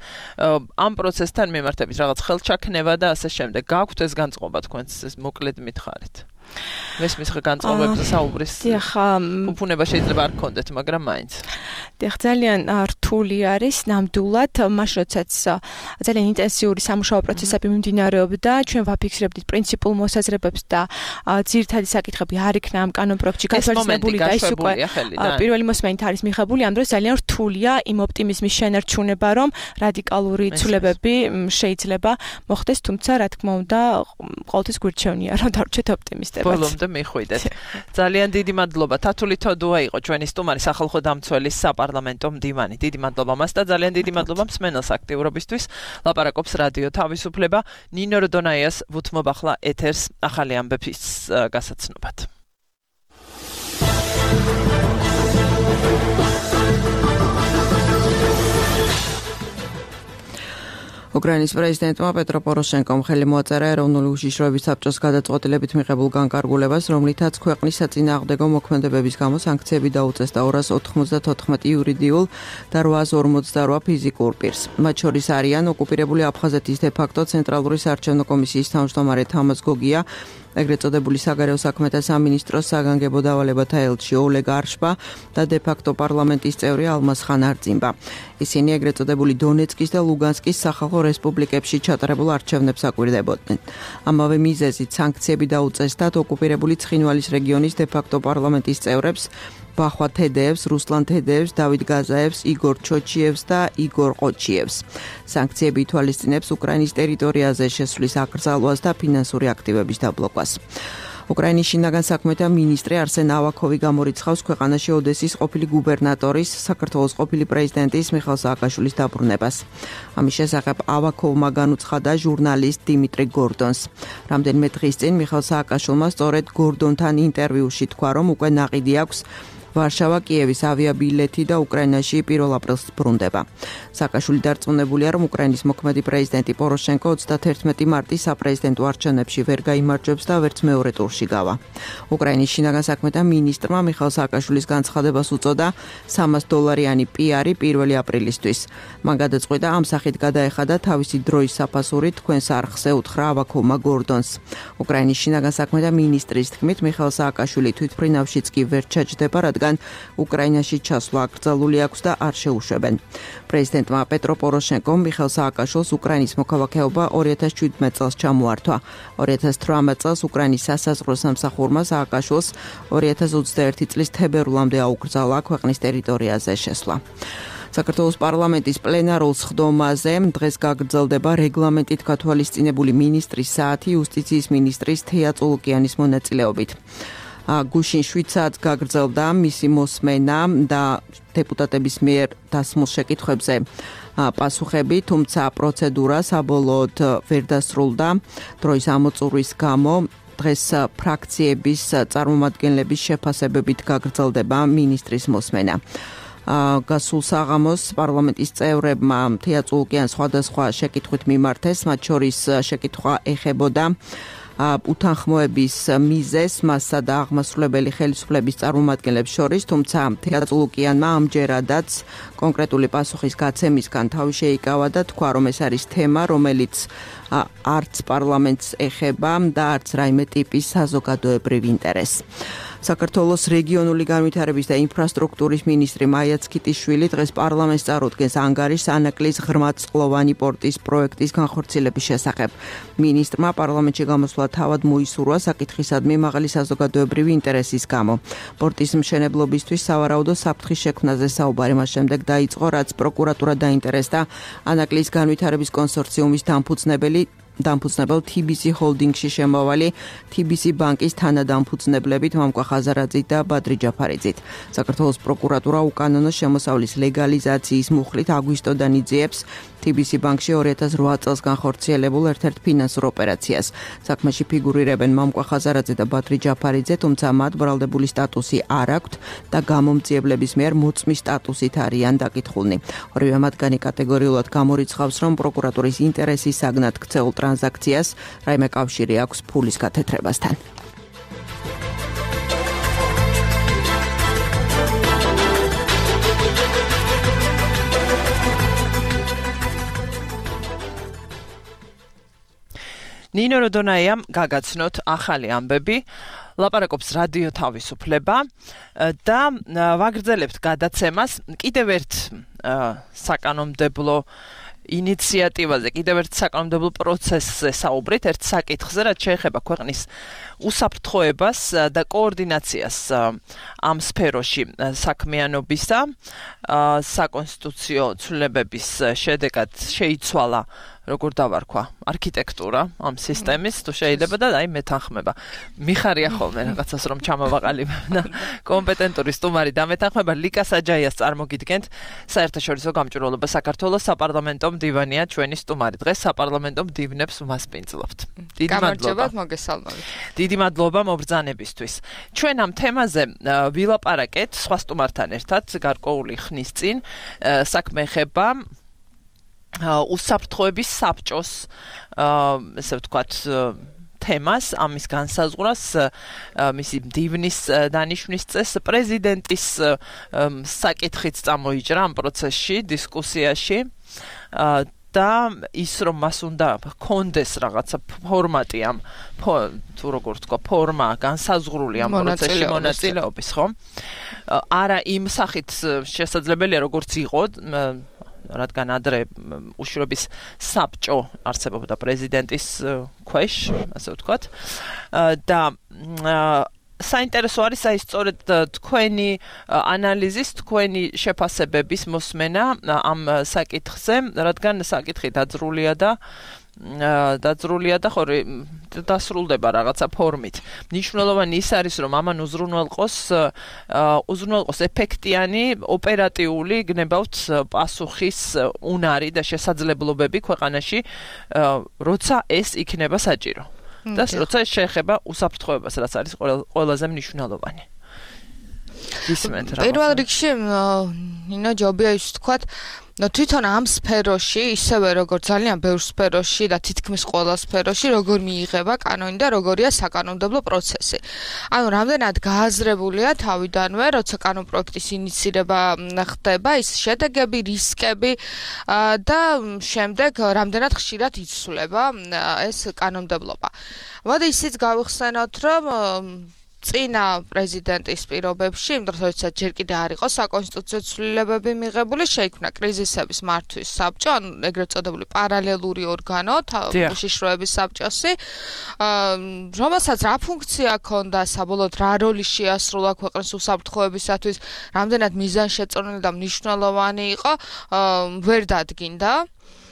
ამ პროცესთან მიმართებით რაღაც ხელჩაქნება და ასე შემდეგ. გაქვთ ეს განწყობა თქვენს, ეს მოკლედ მითხარით. მესმის განწყობებზე საუბრის უფუნება შეიძლება არ გქონდეთ, მაგრამ მაინც. დიახ, ძალიან რთული არის ნამდვილად, მაშინ როდესაც ძალიან ინტენსიური სამუშაო პროცესები მიმდინარეობდა, ჩვენ ვაფიქსირებდით პრინციპულ მოსაზრებებს და ძირითადი საკითხები არ იქნა ამ კანონპროექტში გათვალისწინებული და ის უკვე პირველი მოსმენით არის მიღებული, ამ დროს ძალიან რთულია იმ ოპტიმიზმის შენარჩუნება, რომ რადიკალური ცვლილებები შეიძლება მოხდეს, თუმცა რა თქმა უნდა, ყოველთვის გვირჩევნია, რომ დარჩეთ ოპტიმისტები. ბოლომდე მიხვიდეთ. ძალიან დიდი მადლობა. თათული თოდუა იყო ჩვენი სტუმარი, სახალხო დამცველის საპარლამენტო მდივანი. დიდი მადლობა მას და ძალიან დიდი მადლობა მსმენელს აქტიურობისთვის. ლაპარაკობს რადიო თავისუფლება. ნინო როდონაიას ვუთმობ ახლა ეთერს ახალი ამბების გასაცნობად. უკრაინის პრეზიდენტმა პეტრო პოროშენკომ ხელი მოაწერა ეროვნული უშიშროების საბჭოს გადაწყვეტილებით მიღებულ განკარგულებას, რომლითაც ქვეყნის საწინააღმდეგო მოქმედებების გამო სანქციები დაუწეს და ორას ოთხმოცდათოთხმეტი იურიდიულ და რვაას ორმოცდარვა ფიზიკურ პირს. მათ შორის არიან ოკუპირებული აფხაზეთის დე-ფაქტო ცენტრალური საარჩევნო კომისიის თავმჯდომარე თამაზ გოგია, ეგრეთ წოდებული საგარეო საქმეთა სამინისტროს საგანგებო დავალებათა ელჩი ოლეგ არშბა და დე-ფაქტო პარლამენტის წევრი ალმაზ ხან არწიმბა. ისინი ეგრეთ წოდებული დონეცკის და ლუგანსკის სახალხო რესპუბლიკებში ჩატარებულ არჩევნებს აკვირდებოდნენ. ამავე მიზეზით სანქციები დაუწესდათ ოკუპირებული ცხინვალის რეგიონის დე-ფაქტო პარლამენტის წევრებს, ბახვა თედეევს, რუსლან თედეევს, დავიდ გაზაევს, იგორ ჩოჩიევს და იგორ ყოჩიევს. სანქციები ითვალისწინებს უკრაინის ტერიტორიაზე შესვლის აკრძალვას და ფინანსური აქტივების დაბლოკვას. უკრაინის შინაგან საქმეთა მინისტრი არსენ ავაკოვი გამორიცხავს ქვეყანაში ოდესის ყოფილი გუბერნატორის, საქართველოს ყოფილი პრეზიდენტის მიხეილ სააკაშვილის დაბრუნებას. ამის შესახებ ავაკოვმა განუცხადა ჟურნალისტ დიმიტრი გორდონს. რამდენიმე დღის წინ მიხეილ სააკაშვილმა სწორედ გორდონთან ინტერვიუში თქვა, რომ უკვე ნაყიდი აქვს ვარშავა კიევის ავიაბილეთი და უკრაინაში პირველ აპრილს ბრუნდება. სააკაშვილი დარწმუნებულია, რომ უკრაინის მოქმედი პრეზიდენტი პოროშენკო ოცდათერთმეტი მარტის საპრეზიდენტო არჩევნებში ვერ გაიმარჯვებს და ვერც მეორე ტურში გავა. უკრაინის შინაგან საქმეთა მინისტრმა მიხეილ სააკაშვილის განცხადებას უწოდა სამას დოლარიანი პიარი პირველი აპრილისთვის. მან გადაწყვიტა ამ სახით გადაეხადა თავისი დროის საფასური თქვენს არხზე უთხრა ავაკოვმა გორდონს. უკრაინის შინაგან საქმეთა მინისტრის თქმით, მიხეილ სააკაშვილი თვითმფრინავშიც კი ვერ ჩაჯდება, რადგან უკრაინაში ჩასვლა აკრძალული აქვს და არ შეუშვებენ. პრეზიდენტმა პეტრო პოროშენკომ მიხეილ სააკაშვილს უკრაინის მოქალაქეობა ორი ათას შვიდმეტ წელს ჩამოართვა. ორი ათას თვრამეტ წელს უკრაინის სასაზღვრო სამსახურმა სააკაშვილს ორი ათას ოცდაერთი წლის თებერვლამდე აუკრძალა ქვეყნის ტერიტორიაზე შესვლა. საქართველოს პარლამენტის პლენარულ სხდომაზე დღეს გაგრძელდება რეგლამენტით გათვალისწინებული მინისტრის საათი იუსტიციის მინისტრის თეა წულუკიანის მონაწილეობით. გუშინ შვიდ საათს გაგრძელდა მისი მოსმენა და დეპუტატების მიერ დასმულ შეკითხვებზე პასუხები, თუმცა პროცედურა საბოლოოდ ვერ დასრულდა დროის ამოწურვის გამო. დღეს ფრაქციების წარმომადგენლების შეფასებებით გაგრძელდება მინისტრის მოსმენა. გასულ საღამოს პარლამენტის წევრებმა თეა წულუკიანს სხვადასხვა შეკითხვით მიმართეს, მათ შორის შეკითხვა ეხებოდა უთანხმოების მიზეზს მასსა და აღმასრულებელი ხელისუფლების წარმომადგენლებს შორის, თუმცა თეა წულუკიანმა ამჯერადაც კონკრეტული პასუხის გაცემისგან თავი შეიკავა და თქვა, რომ ეს არის თემა, რომელიც არც პარლამენტს ეხება და არც რაიმე ტიპის საზოგადოებრივ ინტერესს. საქართველოს რეგიონული განვითარების და ინფრასტრუქტურის მინისტრი მაია ცქიტიშვილი დღეს პარლამენტს წარუდგენს ანგარის ანაკლის ღრმაწყლოვანი პორტის პროექტის განხორციელების შესახებ. მინისტრმა პარლამენტში გამოსვლა თავად მოისურვა საკითხისადმი მაღალი საზოგადოებრივი ინტერესის გამო. პორტის მშენებლობისთვის სავარაუდო საფრთხის შექმნაზე საუბარი მას შემდეგ დაიწყო, რაც პროკურატურა დაინტერესდა ანაკლის განვითარების კონსორციუმის დამფუძნებელი დამფუძნებელ თი ბი სი ჰოლდინგში შემავალი თი ბი სი ბანკის თანადამფუძნებლებით მამკვა ხაზარაძით და ბადრი ჯაფარიძით. საქართველოს პროკურატურა უკანონო შემოსავლის ლეგალიზაციის მუხლით აგვისტოდან იძიებს თი ბი სი ბანკში ორი ათას რვა წელს განხორციელებულ ერთ-ერთ ფინანსურ ოპერაციას. საქმეში ფიგურირებენ მამკვა ხაზარაძე და ბადრი ჯაფარიძე, თუმცა მათ ბრალდებული სტატუსი არ აქვთ და გამომძიებლების მიერ მოწმის სტატუსით არიან დაკითხულნი. ორივე მათგანი კატეგორიულად გამორიცხავს, რომ პროკურატურის ინტერესის საგნად ქცეულ ტრანზაქციას რაიმე კავშირი აქვს ფულის გათეთრებასთან. ნინო როდონაიამ გაგაცნოთ ახალი ამბები, ლაპარაკობს რადიო თავისუფლება და ვაგრძელებთ გადაცემას კიდევ ერთ საკანონმდებლო ინიციატივაზე, კიდევ ერთ საკანონმდებლო პროცესზე საუბრით, ერთ საკითხზე, რაც შეეხება ქვეყნის უსაფრთხოებას და კოორდინაციას ამ სფეროში საქმიანობისა. საკონსტიტუციო ცვლილებების შედეგად შეიცვალა, როგორ დავარქვა, არქიტექტურა ამ სისტემის, თუ შეიძლება და აი მეთანხმება. მიხარია ხოლმე რაღაცას რომ ჩამოვაყალიბებ და კომპეტენტური სტუმარი დამეთანხმება. ლიკა საჯაიას წარმოგიდგენთ. საერთაშორისო გამჭვირვალობა საქართველოს საპარლამენტო მდივანია ჩვენი სტუმარი. დღეს საპარლამენტო მდივნებს ვმასპინძლობთ. დიდი მადლობა. მოგესალმებით. დიდი მადლობა მობრძანებისთვის. ჩვენ ამ თემაზე ვილაპარაკეთ სხვა სტუმართან ერთად გარკვეული ხნის წინ. საქმე ეხება უსაფრთხოების საბჭოს, ესე ვთქვათ, თემას, ამის განსაზღვრას, მისი მდივნის დანიშვნის წესს, პრეზიდენტის საკითხიც წამოიჭრა ამ პროცესში, დისკუსიაში და ის რომ მას უნდა ჰქონდეს რაღაცა ფორმატი ამ თუ როგორ თქვა, ფორმა განსაზღვრული ამ პროცესში მონაწილეობის, ხო? არა იმ სახით შესაძლებელია როგორც იყო, რადგან ადრე უშუალობის საბჭო არსებობდა პრეზიდენტის ქვეშ, ასე ვთქვათ. და საინტერესო არის აი სწორედ თქვენი ანალიზის, თქვენი შეფასებების მოსმენა ამ საკითხზე, რადგან საკითხი დაძრულია და დაძრულია და ხო დასრულდება რაღაცა ფორმით. მნიშვნელოვანი ის არის, რომ ამან უზრუნველყოს უზრუნველყოს ეფექტიანი, ოპერატიული, გნებავთ პასუხის უნარი და შესაძლებლობები ქვეყანაში, როცა ეს იქნება საჭირო. და როცა ეს შეეხება უსაფრთხოებას, რაც არის ყველაზე მნიშვნელოვანი. ისმენთ რა. პირველ რიგში ნინო ჯობია ის თქვათ, თვითონ ამ სფეროში, ისევე როგორც ძალიან ბევრ სფეროში და თითქმის ყველა სფეროში, როგორ მიიღება კანონი და როგორია საკანონმდებლო პროცესი. ანუ რამდენად გააზრებულია თავიდანვე, როცა კანონ პროექტის ინიცირება ხდება, ის შედეგები, რისკები და შემდეგ რამდენად ხშირად იცვლება ეს კანონმდებლობა. მოდი ისიც გავიხსენოთ, რომ წინა პრეზიდენტის პირობებში, იმიტომ რომ როდესაც ჯერ კიდე არ იყო საკონსტიტუციო ცვლილებები მიღებული, შეიქმნა კრიზისების მართვის საბჭო, ანუ ეგრეთ წოდებული პარალელური ორგანო, უშიშროების საბჭოსი, რომელსაც რა ფუნქცია ჰქონდა, საბოლოოდ რა როლი შეასრულა ქვეყნის უსაფრთხოებისათვის, რამდენად მიზანშეწონილი და მნიშვნელოვანი იყო, ვერ დადგინდა.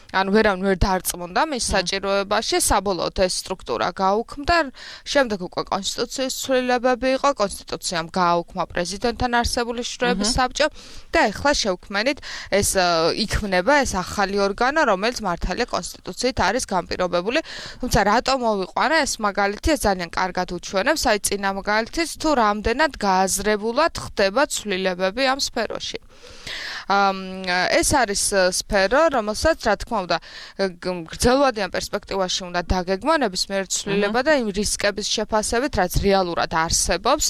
ანუ ვერავინ ვერ დარწმუნდა მის საჭიროებაში, საბოლოოდ ეს სტრუქტურა გაუქმდა, შემდეგ უკვე კონსტიტუციის ცვლილებები იყო, კონსტიტუციამ გააუქმა პრეზიდენტთან არსებული შროების საბჭო და ეხლა შევქმნით ეს იქმნება ეს ახალი ორგანო, რომელიც მართალია კონსტიტუციით არის განპირობებული. თუმცა რატომ მოვიყვანა ეს მაგალითი, ეს ძალიან კარგად უჩვენებს, აი წინა მაგალითის თუ რამდენად გააზრებულად ხდება ცვლილებები ამ სფეროში. ეს არის სფერო, რომელსაც რა თქმა უნდა გრძელვადიან პერსპექტივაში უნდა დაგეგმონების მიერ ცვლილება და იმ რისკების შეფასებით, რაც რეალურად არსებობს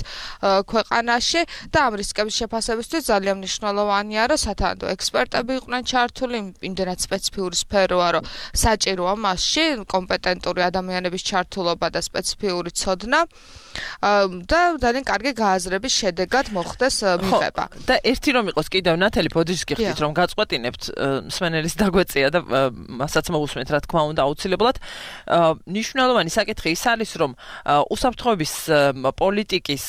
ქვეყანაში და ამ რისკების შეფასებისთვის ძალიან მნიშვნელოვანია, რომ სათანადო ექსპერტები იყვნენ ჩართული, იმდენად სპეციფიური სფეროა, რომ საჭიროა მასში კომპეტენტური ადამიანების ჩართულობა და სპეციფიური ცოდნა და ძალიან კარგი გააზრების შედეგად მოხდეს მიღება. და ერთი რომ იყოს კიდევ ნათელი ბოდიშს გიხდით რომ გაწყვეტინებთ მსმენელის დაგვეწია და მასაც მოусმენთ რა თქმა უნდა აუცილებლად. ნიშნულოვანი საკითხი ის არის რომ უსაფრთხოების პოლიტიკის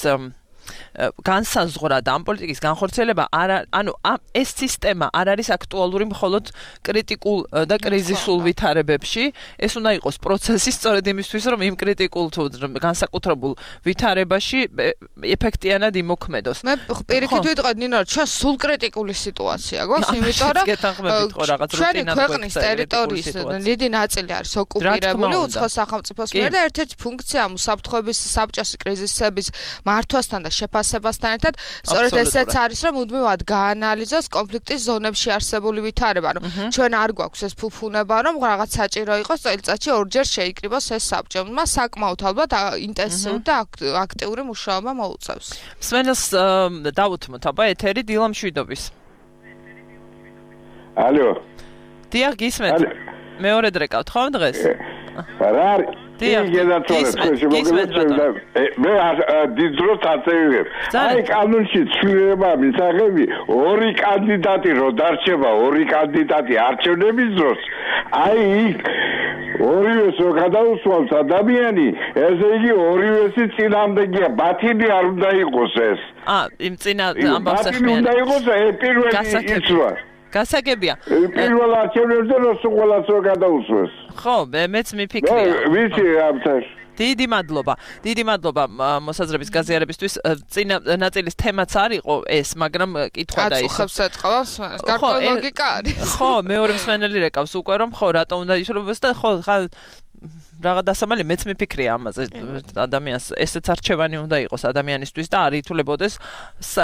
განსაზღვრა და ამ პოლიტიკის განხორციელება არ ანუ ეს სისტემა არ არის აქტუალური მხოლოდ კრიტიკულ და კრიზისულ ვითარებებში, ეს უნდა იყოს პროცესი სწორედ იმისთვის, რომ იმ კრიტიკულ თუ განსაკუთრებულ ვითარებაში ეფექტიანად იმოქმედოს. მე პირიქით ვიტყოდ ნინო, ჩვენ სულ კრიტიკული სიტუაცია გვაქვს, იმიტომ რომ ჩვენი ქვეყნის ტერიტორიის დიდი ნაწილი არის ოკუპირებული უცხო სახელმწიფოს მიერ და ერთ-ერთი ფუნქცია უსაფრთხოების საბჭოს კრიზისების მართვასთან და შეფასებასთან ერთად სწორედ ესეც არის, რომ მუდმივად გაანალიზოს კონფლიქტის ზონებში არსებული ვითარება. ანუ ჩვენ არ გვაქვს ეს ფუფუნება, რომ რაღაც საჭირო იყოს წელიწადში ორჯერ შეიკრიბოს ეს საბჭო. მას საკმაოდ ალბათ ინტენსიური და აქტიური მუშაობა მოუწევს. მსმენელს დავუთმოთ აბა ეთერი დილა მშვიდობის. ალო. დიახ, გისმენთ. მეორე დრეკავთ ხომ დღეს? რა არის? მე დიდროს აწევებ. აი კანონში ცვლილება მისაღები ორი კანდიდატი რო დარჩება, ორი კანდიდატი არჩევნების დროს, აი იქ ორივეს რო გადაუსვამს ადამიანი, ესე იგი ორივესი წინამდეგია, ბათინი არ უნდა იყოს ეს. აა, იმ წინა ამბავს ახმიან. ბათინი უნდა იყოს პირველი იცვა. გასაგებია. პირველ არჩევნებზე რო ყველას რო გადაუსვეს. ხო, მეც მიფიქრია. ვიცი ამთაშ. დიდი მადლობა. დიდი მადლობა მოსაზრების გაზიარებისთვის. წინა ნაწილის თემაც არ იყო ეს, მაგრამ კითხვა და ის. აწუხებს ეთყავს, გარკვეულ ლოგიკა არის. ხო, მეორე მსმენელი რეკავს უკვე რომ ხო, რატომ უნდა იშრობოს და ხო, ხა რაღა დასამალი მეც მიფიქრია ამაზე ადამიანს ესეც არჩევანი უნდა იყოს ადამიანისთვის და არ ითვლებოდეს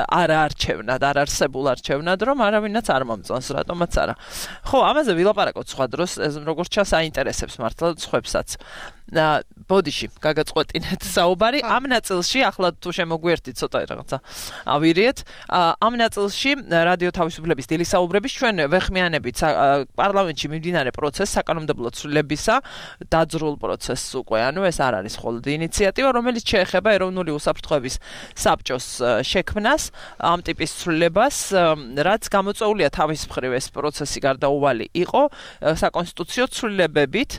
არ არჩევნად, არ არსებულ არჩევნად, რომ არავინაც არ მომწონს, რატომაც არა. ხო, ამაზე ვილაპარაკოთ სხვა დროს, როგორც ჩანს აინტერესებს მართლა სხვებსაც. ბოდიში გაგაწყვეტინეთ საუბარი ამ ნაწილში, ახლა თუ შემოგვიერთით ცოტა რაღაცა ავირიეთ, ამ ნაწილში რადიო თავისუფლების დილის საუბრების ჩვენ ვეხმიანებით პარლამენტში მიმდინარე პროცესს, საკანონმდებლო ცვლილებისა დაძრულ პროცესს უკვე, ანუ ეს არ არის მხოლოდ ინიციატივა, რომელიც შეეხება ეროვნული უსაფრთხოების საბჭოს შექმნას, ამ ტიპის ცვლილებას, რაც გამოწვეულია თავის მხრივ ეს პროცესი გარდაუვალი იყო საკონსტიტუციო ცვლილებებით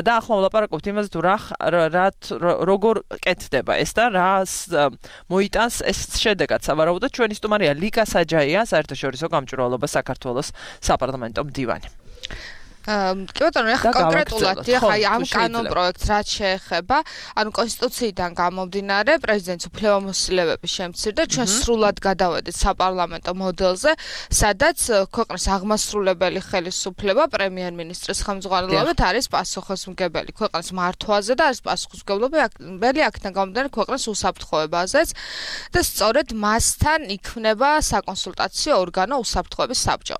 და ახლა ვლაპარაკობთ იმაზე თუ რა როგორ კეთდება ეს და რას მოიტანს ეს შედეგად. სავარაუდოდ ჩვენი სტუმარია ლიკა საჯაია, საერთაშორისო გამჭვირვალობა საქართველოს საპარლამენტო მდივანი. კი ბატონო, ახლა კონკრეტულად ახლა ამ კანონ პროექტს რაც შეეხება, ანუ კონსტიტუციიდან გამომდინარე პრეზიდენტის უფლებამოსილებების შემცირდა, ჩვენ სრულად გადავედით საპარლამენტო მოდელზე, სადაც ქვეყნის აღმასრულებელი ხელისუფლება პრემიერ-მინისტრის ხელმძღვანელობით არის პასუხისმგებელი ქვეყნის მართვაზე და არის პასუხისმგებელი აქედან გამომდინარე ქვეყნის უსაფრთხოებაზეც და სწორედ მასთან იქმნება საკონსულტაციო ორგანო უსაფრთხოების საბჭო.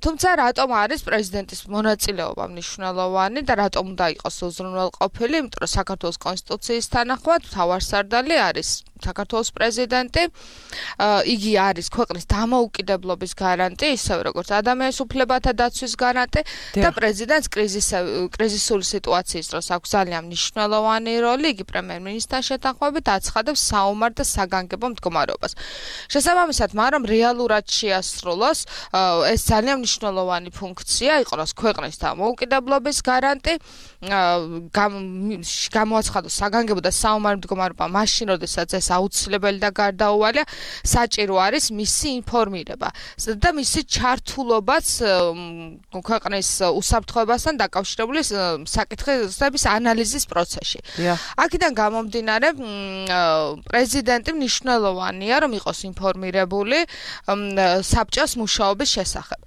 თუმცა რატომ არის პრეზიდენტის მონაწილეობა მნიშვნელოვანი და რატომ უნდა იყოს უზრუნველყოფილი, იმიტომ რომ საქართველოს კონსტიტუციის თანახმად მთავარსარდალი არის საქართველოს პრეზიდენტი. იგი არის ქვეყნის დამოუკიდებლობის გარანტი, ისევე როგორც ადამიანის უფლებათა დაცვის გარანტი და პრეზიდენტს კრიზისული სიტუაციის დროს აქვს ძალიან მნიშვნელოვანი როლი. იგი პრემიერ-მინისტრთან შეთანხმებით აცხადებს საომარ და საგანგებო მდგომარეობას. შესაბამისად, მაგრამ რეალურად შეასრულოს ეს ძალიან მნიშვნელოვანი ფუნქცია, იყოს ქვეყნის დამოუკიდებლობის გარანტი, გამოაცხადოს საგანგებო და საომარი მდგომარეობა მაშინ, როდესაც ეს აუცილებელი და გარდაუვალია, საჭირო არის მისი ინფორმირება და მისი ჩართულობაც ქვეყნის უსაფრთხოებასთან დაკავშირებული საკითხების ანალიზის პროცესში. აქედან გამომდინარე, პრეზიდენტი მნიშვნელოვანია, რომ იყოს ინფორმირებული საბჭოს მუშაობის შესახებ.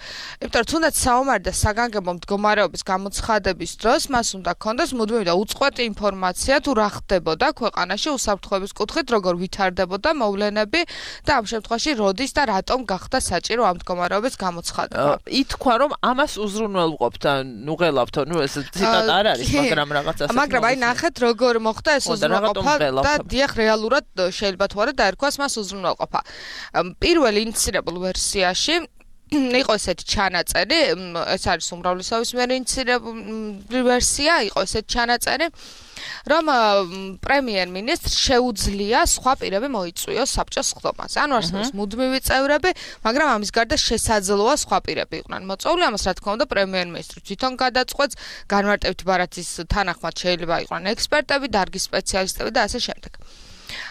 იმიტომ რომ თუნდაც საომარი და საგანგებო მდგომარეობის გამოცხადების დროს მას უნდა ქონდეს მუდმივი და უწყვეტი ინფორმაცია თუ რა ხდებოდა ქვეყანაში უსაფრთხოების კუთხით, როგორ ვითარდებოდა მოვლენები და ამ შემთხვევაში როდის და რატომ გახდა საჭირო ამ მდგომარეობის გამოცხადება. ითქვა რომ ამას უზრუნველყოფთ, ნუღელავთ, ნუ ეს ციტატა არ არის, მაგრამ რაღაც ასე. მაგრამ აი ნახეთ როგორ მოხდა ეს უზრუნველყოფა და დიახ რეალურად შეიძლება თუ არა დაერქვას მას უზრუნველყოფა. პირველ ინიცირებულ ვერსიაში იყო ესეთი ჩანაწერი, ეს არის უმრავლესობის მიერ ინიცირებული ვერსია, იყო ესეთი ჩანაწერი, რომ პრემიერ-მინისტრს შეუძლია სხვა პირები მოიწვიოს საბჭოს სხდომაზე. ანუ არსებობს მუდმივი წევრები, მაგრამ ამის გარდა შესაძლოა სხვა პირები იყვნენ მოწვეული. ამას რა თქმა უნდა პრემიერ-მინისტრი თვითონ გადაწყვეტს, განმარტებითი ბარათის თანახმად შეიძლება იყვნენ ექსპერტები, დარგის სპეციალისტები და ასე შემდეგ.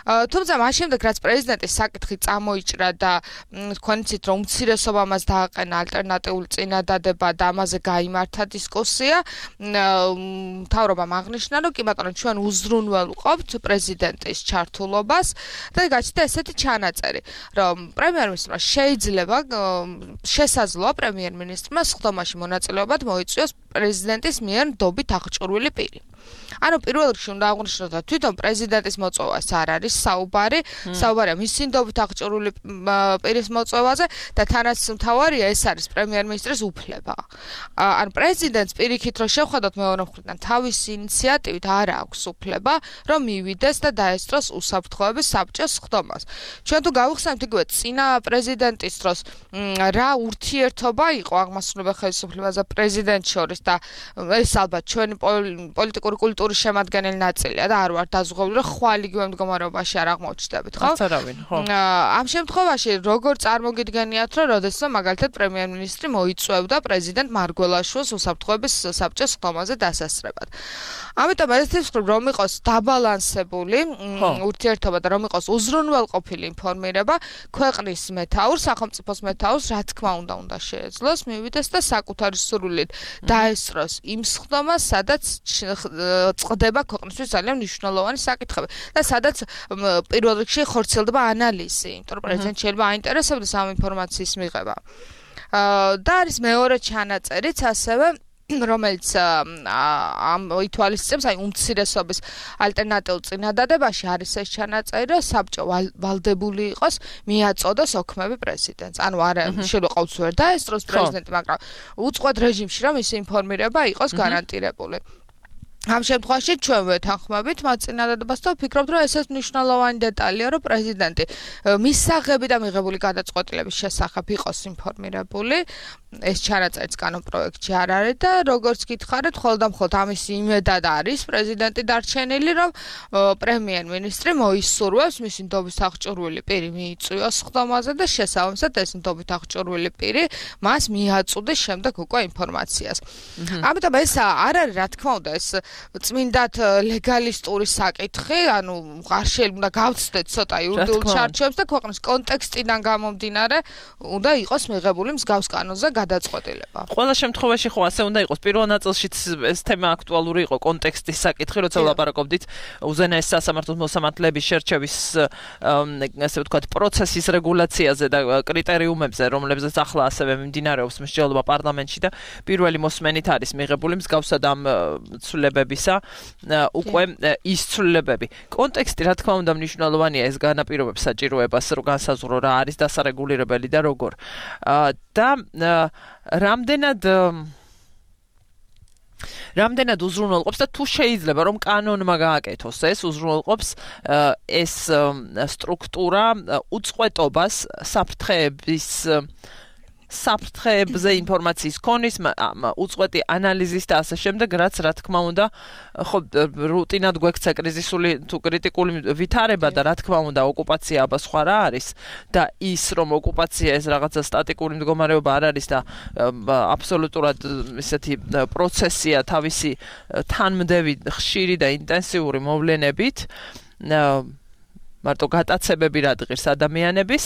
თუმცა მას შემდეგ რაც პრეზიდენტის საკითხი წამოიჭრა და თქვენ იცით რომ უმცირესობა მას დააყენა ალტერნატიული წინადადება და ამაზე გაიმართა დისკუსია, მთავრობამ აღნიშნა რომ კი ბატონო ჩვენ უზრუნველყოფთ პრეზიდენტის ჩართულობას და გაჩნდა ესეთი ჩანაწერი, რომ პრემიერ-მინისტრმა შეიძლება შესაძლოა პრემიერ-მინისტრმა სხდომაში მონაწილეობად მოიწვიოს პრეზიდენტის მიერ ნდობით აღჭურვილი პირი. ანუ პირველ რიგში უნდა აღვნიშნოთ, რომ თვითონ პრეზიდენტის მოწვევას არ არის საუბარი, საუბარია მისი ნდობით აღჭურვილი პირის მოწვევაზე და თანაც მთავარია ეს არის პრემიერ-მინისტრის უფლება. ან პრეზიდენტს პირიქით რომ შევხედოთ მეორე მხრიდან თავისი ინიციატივით არ აქვს უფლება, რომ მივიდეს და დაესწროს უსაფრთხოების საბჭოს სხდომას. ჩვენ თუ გავიხსენებთ იგივე წინა პრეზიდენტის დროს რა ურთიერთობა იყო აღმასრულებელ ხელისუფლებაზე პრეზიდენტ შორის და ეს ალბათ ჩვენი პოლიტიკური კულტურის შემადგენელი ნაწილია და არ ვარ დაზღვეული რომ ხვალ იგივე მდგომარეობაში არ აღმოჩნდებით, ხო? არავინ, ხო. ამ შემთხვევაში როგორ წარმოგიდგენიათ, რომ როდესაც მაგალითად პრემიერ-მინისტრი მოიწვევდა პრეზიდენტ მარგველაშვილს უსაფრთხოების საბჭოს სხდომაზე დასასწრებად. ამიტომ ეს ვთქვი, რომ იყოს დაბალანსებული ურთიერთობა და რომ იყოს უზრუნველყოფილი ინფორმირება, ქვეყნის მეთაურს, სახელმწიფოს მეთაურს, რა თქმა უნდა, უნდა შეეძლოს მივიდეს და საკუთარი სურვილით დაესწროს იმ სხდომას, სადაც წყდება ქვეყნისთვის ძალიან მნიშვნელოვანი საკითხები და სადაც პირველ რიგში ხორციელდება ანალიზი, იმიტომ რომ პრეზიდენტს შეიძლება აინტერესებდეს ამ ინფორმაციის მიღება. და არის მეორე ჩანაწერიც ასევე რომელიც ამ ითვალისწინებს აი უმცირესობის ალტერნატიულ წინადადებაში არის ეს ჩანაწერი, რომ საბჭო ვალდებული იყოს მიაწოდოს ოქმები პრეზიდენტს. ანუ არა შეყავს ვერ დაესწროს პრეზიდენტი, მაგრამ უწყვეტ რეჟიმში რომ ის ინფორმირება იყოს გარანტირებული. ამ შემთხვევაში ჩვენ ვეთანხმებით მათ წინადადებას და ვფიქრობთ, რომ ესეც მნიშვნელოვანი დეტალია, რომ პრეზიდენტი მისაღები და მიღებული გადაწყვეტილების შესახებ იყოს ინფორმირებული. ეს ჩანაწერიც კანონპროექტში არ არის და როგორც გითხარით, ხოლმე და მხოლოდ ამის იმედად არის პრეზიდენტი დარჩენილი, რომ პრემიერ-მინისტრი მოისურვებს მისი ნდობით აღჭურვილი პირი მიიწვიოს სხდომაზე და შესაბამისად ეს ნდობით აღჭურვილი პირი მას მიაწუდეს შემდეგ უკვე ინფორმაციას. ამიტომ ეს არ არის, რა თქმა უნდა, ეს წმინდად ლეგალისტური საკითხი, ანუ არ შეიძლება გავცდეთ ცოტა იურიდიულ ჩარჩოებს და ქვეყნის კონტექსტიდან გამომდინარე უნდა იყოს მიღებული მსგავს კანონზე გადაწყვეტილება. ყველა შემთხვევაში ხო ასე უნდა იყოს. პირველ ნაწილშიც ეს თემა აქტუალური იყო, კონტექსტის საკითხი, როცა ვლაპარაკობდით უზენაეს სასამართლოს მოსამართლეების შერჩევის ასე ვთქვათ პროცესის რეგულაციაზე და კრიტერიუმებზე, რომლებზეც ახლა ასევე მიმდინარეობს მსჯელობა პარლამენტში და პირველი მოსმენით არის მიღებული მსგავსად ამ ცვლილებებისა უკვე ის ცვლილებები. კონტექსტი რა თქმა უნდა მნიშვნელოვანია, ეს განაპირობებს საჭიროებას, რომ განსაზღვრო რა არის დასარეგულირებელი და როგორ. და რამდენად რამდენად უზრუნველყოფს და თუ შეიძლება რომ კანონმა გააკეთოს ეს უზრუნველყოფს ეს სტრუქტურა უწყვეტობას საფრთხეების საფრთხეებზე ინფორმაციის ქონის, უწყვეტი ანალიზის და ასე შემდეგ, რაც რა თქმა უნდა, ხო რუტინად გვექცა კრიზისული თუ კრიტიკული ვითარება და რა თქმა უნდა, ოკუპაცია აბა სხვა რა არის და ის რომ ოკუპაცია ეს რაღაცა სტატიკური მდგომარეობა არ არის და აბსოლუტურად ესეთი პროცესია თავისი თანმდევი, ხშირი და ინტენსიური მოვლენებით მარტო გატაცებები რადგეს ადამიანების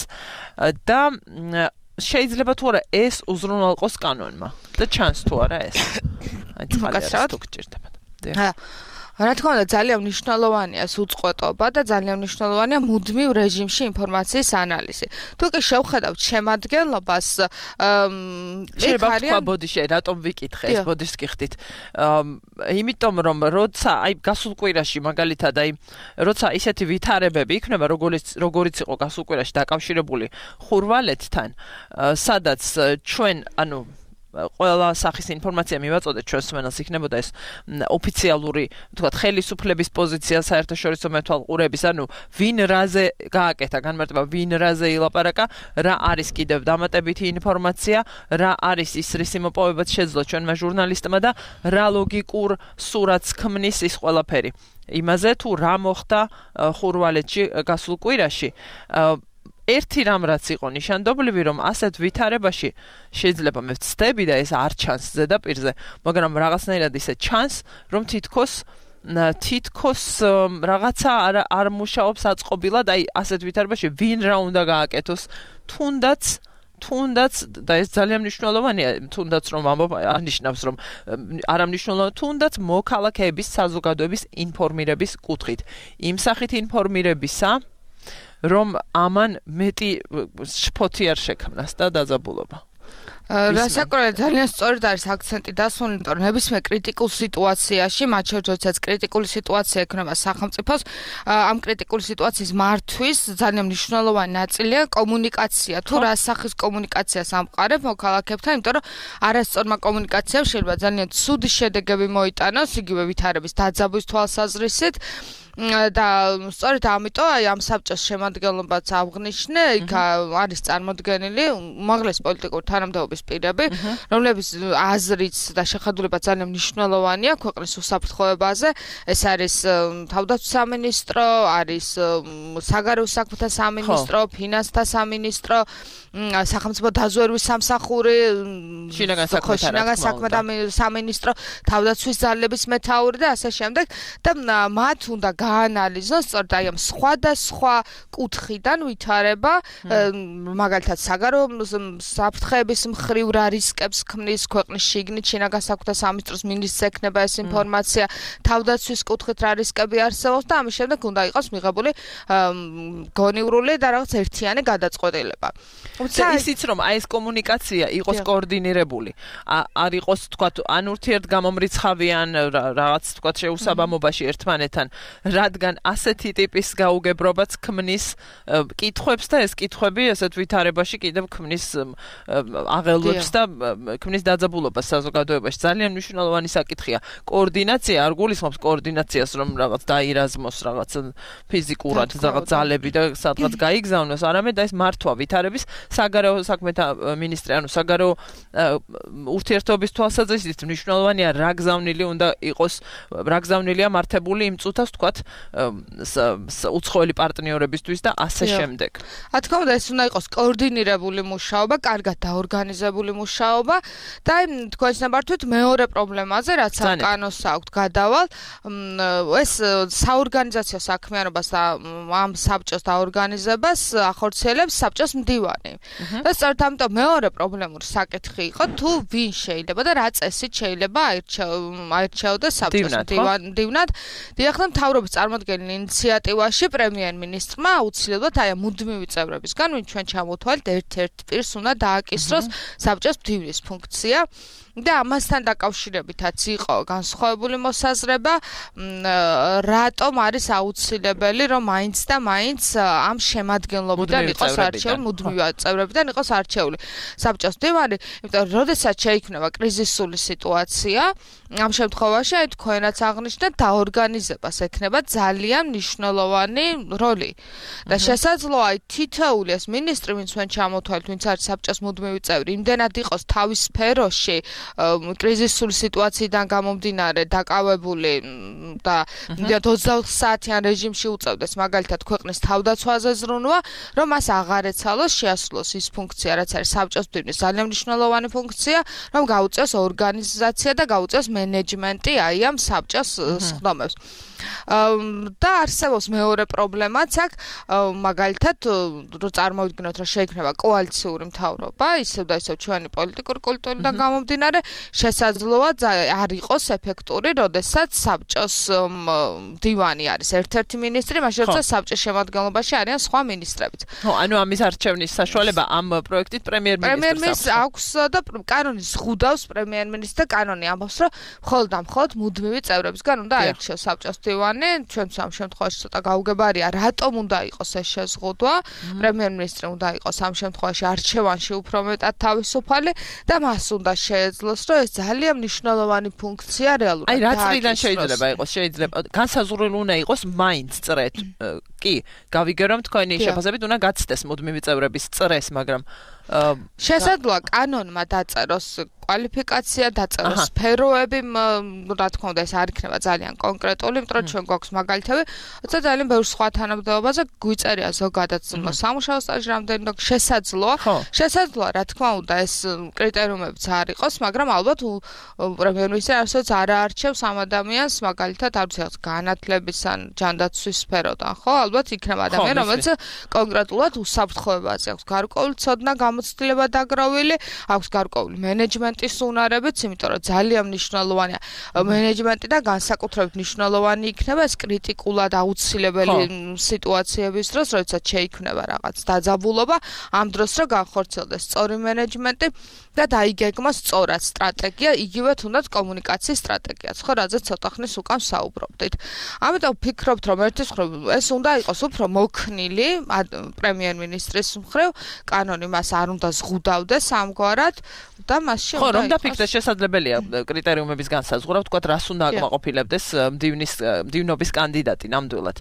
და შეიძლება თუ არა ეს უზრუნველყოს კანონმა და ჩანს თუ არა ეს. აი წყალს თუ გჭირდება. აა რა თქმა უნდა ძალიან მნიშვნელოვანია უწყვეტობა და ძალიან მნიშვნელოვანია მუდმივ რეჟიმში ინფორმაციის ანალიზი. თუ კი შევხედავთ შემადგენლობას შეიძლება თქვა ბოდიში რატომ ვიკითხე ეს ბოდიშს გიხდით. იმიტომ რომ როცა აი გასულ კვირაში მაგალითად აი როცა ისეთი ვითარებები იქნება როგორც როგორც იყო გასულ კვირაში დაკავშირებული ხურვალეთთან სადაც ჩვენ ანუ ყველა სახის ინფორმაცია მივაწოდეთ ჩვენს მსმენელს იქნებოდა ეს ოფიციალური თქვათ ხელისუფლების პოზიცია საერთაშორისო მეთვალყურების ანუ ვინ რაზე გააკეთა განმარტება ვინ რაზე ილაპარაკა რა არის კიდევ დამატებითი ინფორმაცია რა არის ის რისი მოპოვებაც შეძლო ჩვენმა ჟურნალისტმა და რა ლოგიკურ სურათს ქმნის ის ყველაფერი იმაზე თუ რა მოხდა ხურვალეთში გასულ კვირაში ერთი რამ რაც იყო ნიშანდობლივი რომ ასეთ ვითარებაში შეიძლება მე ვცდები და ეს არ ჩანს ზედაპირზე მაგრამ რაღაცნაირად ისე ჩანს რომ თითქოს თითქოს რაღაცა არ არ მუშაობს აწყობილად აი ასეთ ვითარებაში ვინ რა უნდა გააკეთოს თუნდაც თუნდაც და ეს ძალიან მნიშვნელოვანია თუნდაც რომ ამბობ ანიშნავს რომ არ ამნიშნულოვანია თუნდაც მოქალაქეების საზოგადოების ინფორმირების კუთხით იმ სახით ინფორმირებისა რომ ამან მეტი შფოთი არ შექმნას და დაძაბულობა. რასაკურველად ძალიან სწორად არის აქცენტი დასმული, იმიტომ რომ ნებისმიერ კრიტიკულ სიტუაციაში, მათ შორის როდესაც კრიტიკული სიტუაცია ექნება სახელმწიფოს, ამ კრიტიკული სიტუაციის მართვის ძალიან მნიშვნელოვანი ნაწილია კომუნიკაცია. თუ რა სახის კომუნიკაციას ამყარებ მოქალაქეებთან, იმიტომ რომ არასწორმა კომუნიკაციამ შეიძლება ძალიან ცუდი შედეგები მოიტანოს, იგივე ვითარების დაძაბვის თვალსაზრისით. და სწორედ ამიტომ აი ამ საბჭოს შემადგენლობაც აღნიშნე, იქ არის წარმოდგენილი უმაღლესი პოლიტიკური თანამდებობის პირები, რომლების აზრიც და შეხედულება ძალიან მნიშვნელოვანია ქვეყნის უსაფრთხოებაზე. ეს არის თავდაცვის სამინისტრო, არის საგარეო საქმეთა სამინისტრო, ფინანსთა სამინისტრო, სახელმწიფო დაზვერვის სამსახური, შინაგან საქმეთა სამინისტრო, თავდაცვის ძალების მეთაური და ასე შემდეგ და მათ უნდა გაანალიზოს სწორედ აი ამ სხვადასხვა კუთხიდან ვითარება მაგალითად საგარეო საფრთხეების მხრივ რა რისკებს ქმნის ქვეყნის შიგნით შინაგან საქმეთა სამინისტროს მინისტრს ექნება ეს ინფორმაცია თავდაცვის კუთხით რა რისკები არსებობს და ამის შემდეგ უნდა იყოს მიღებული გონივრული და რაღაც ერთიანი გადაწყვეტილება. და ისიც რომ აი ეს კომუნიკაცია იყოს კოორდინირებული არ იყოს თქვათ ან ურთიერთ გამომრიცხავიან რაღაც თქვათ შეუსაბამობაში ერთმანეთთან რადგან ასეთი ტიპის გაუგებრობაც ქმნის კითხვებს და ეს კითხვები ესეთ ვითარებაში კიდევ ქმნის აღელვებს და ქმნის დაძაბულობას საზოგადოებაში ძალიან მნიშვნელოვანი საკითხია კოორდინაცია არ გულისხმობს კოორდინაციას რომ რაღაც დაირაზმოს რაღაც ფიზიკურად რაღაც ძალები და სადღაც გაიგზავნოს არამედ ეს მართვა ვითარების საგარეო საქმეთა მინისტრი ანუ საგარეო ურთიერთობის თვალსაზრისით მნიშვნელოვანია რა გზავნილი უნდა იყოს რა გზავნილია მართებული იმ წუთას თქვათ უცხოელი პარტნიორებისთვის და ასე შემდეგ. რა თქმა უნდა ეს უნდა იყოს კოორდინირებული მუშაობა, კარგად დაორგანიზებული მუშაობა და თქვენს ნებართვით მეორე პრობლემაზე რაც კანონს აქვთ გადავალ ეს საორგანიზაციო საქმიანობას და ამ საბჭოს დაორგანიზებას ახორციელებს საბჭოს მდივანი. და სწორედ ამიტომ მეორე პრობლემური საკითხი იყო თუ ვინ შეიძლება და რა წესით შეიძლება აირჩეოდეს საბჭოს მდივნად. დიახ და მთავრობის წარმოდგენილ ინიციატივაში პრემიერ-მინისტრმა აუცილებლად აი მუდმივი წევრებისგან ვინ ჩვენ ჩამოთვალეთ ერთ-ერთ პირს უნდა დააკისროს საბჭოს მდივნის ფუნქცია. და ამასთან დაკავშირებითაც იყო განსხვავებული მოსაზრება, რატომ არის აუცილებელი, რომ მაინც და მაინც ამ შემადგენლობიდან იყოს არჩეული, მუდმივი წევრებიდან იყოს არჩეული საბჭოს მდივანი, იმიტომ რომ როდესაც შეიქმნება კრიზისული სიტუაცია, ამ შემთხვევაში აი თქვენაც აღნიშნეთ, დაორგანიზებას ექნება ძალიან მნიშვნელოვანი როლი. და შესაძლოა აი თითოეული ეს მინისტრი, ვინც მან ჩამოთვალეთ, ვინც არის საბჭოს მუდმივი წევრი, იმდენად იყოს თავის სფეროში კრიზისული სიტუაციიდან გამომდინარე დაკავებული და ოცდაოთხ საათიან რეჟიმში უწევდეს მაგალითად ქვეყნის თავდაცვაზე ზრუნვა, რომ მას აღარ ეცალოს შეასრულოს ის ფუნქცია, რაც არის საბჭოს მდივნის ძალიან მნიშვნელოვანი ფუნქცია, რომ გაუწევს ორგანიზაცია და გაუწევს მენეჯმენტი აი ამ საბჭოს სხდომებს. და არსებობს მეორე პრობლემაც აქ, მაგალითად, რო წარმოვიდგინოთ, რომ შეიქმნება კოალიციური მთავრობა, ისევ და ისევ ჩვენი პოლიტიკური კულტურიდან გამომდინარე, შესაძლოა არ იყოს ეფექტური, როდესაც საბჭოს მდივანი არის ერთ-ერთი მინისტრი, მაშინ როცა საბჭოს შემადგენლობაში არიან სხვა მინისტრებიც. ხო, ანუ ამის არჩევნის საშუალება ამ პროექტით პრემიერ-მინისტრს პრემიერ-მინისტრს აქვს და კანონი ზღუდავს პრემიერ-მინისტრს და კანონი ამბობს, რომ მხოლოდ და მხოლოდ მუდმივი წევრებისგან უნდა აირჩიოს საბჭოს მდივანი. ჩვენც ამ შემთხვევაში ცოტა გაუგებარია, რატომ უნდა იყოს ეს შეზღუდვა. პრემიერ-მინისტრი უნდა იყოს ამ შემთხვევაში არჩევანში უფრო მეტად თავისუფალი და მას უნდა შეეძლოს, რომ ეს ძალიან მნიშვნელოვანი ფუნქცია რეალურად. აი, რა წრიდან შეიძლება იყოს? შეიძლება განსაზღვრული უნდა იყოს მაინც წრეთ. კი, გავიგე რომ თქვენი შეფასებით უნდა გაცდეს მუდმივი წევრების წრეს, მაგრამ შესაძლოა კანონმა დაწეროს კვალიფიკაცია, დაწეროს სფეროები, რა თქმა უნდა, ეს არ იქნება ძალიან კონკრეტული, იმიტომ რომ ჩვენ გვაქვს მაგალითები, როცა ძალიან ბევრ სხვა თანამდებობაზე გვიწერია ზოგადად სამუშაო სტაჟი რამდენი, შესაძლოა, შესაძლოა, რა თქმა უნდა, ეს კრიტერიუმებიც არ იყოს, მაგრამ ალბათ პრემიერ-მინისტრი არასოდეს არ აარჩევს ამ ადამიანს, მაგალითად, არ ვიცი, განათლების ან ჯანდაცვის სფეროდან, ხო? ალბათ იქნება ადამიანი, რომელიც კონკრეტულად უსაფრთხოებაზე აქვს გარკვეული ცოდნა, გამოცდილება დაგროვილი, აქვს გარკვეული მენეჯმენტის უნარებიც, იმიტომ რომ ძალიან მნიშვნელოვანია მენეჯმენტი და განსაკუთრებით მნიშვნელოვანი იქნება ეს კრიტიკულად აუცილებელი სიტუაციების დროს, როდესაც შეიქმნება რაღაც დაძაბულობა, ამ დროს რომ განხორციელდეს სწორი მენეჯმენტი და დაიგეგმოს სწორად სტრატეგია, იგივე თუნდაც კომუნიკაციის სტრატეგიაც, ხო, რაზეც ცოტა ხნის უკან საუბრობდით. ამიტომ ვფიქრობთ, რომ ერთის მხრივ ეს უნდა იყოს უფრო მოქნილი პრემიერ-მინისტრის მხრივ, კანონი მას არ უნდა ზღუდავდეს ამგვარად და მასში ხო, რომ დაფიქრდეს შესაძლებელია კრიტერიუმების განსაზღვრა, ვთქვათ, რას უნდა აკმაყოფილებდეს მდივნის მდივნობის კანდიდატი ნამდვილად.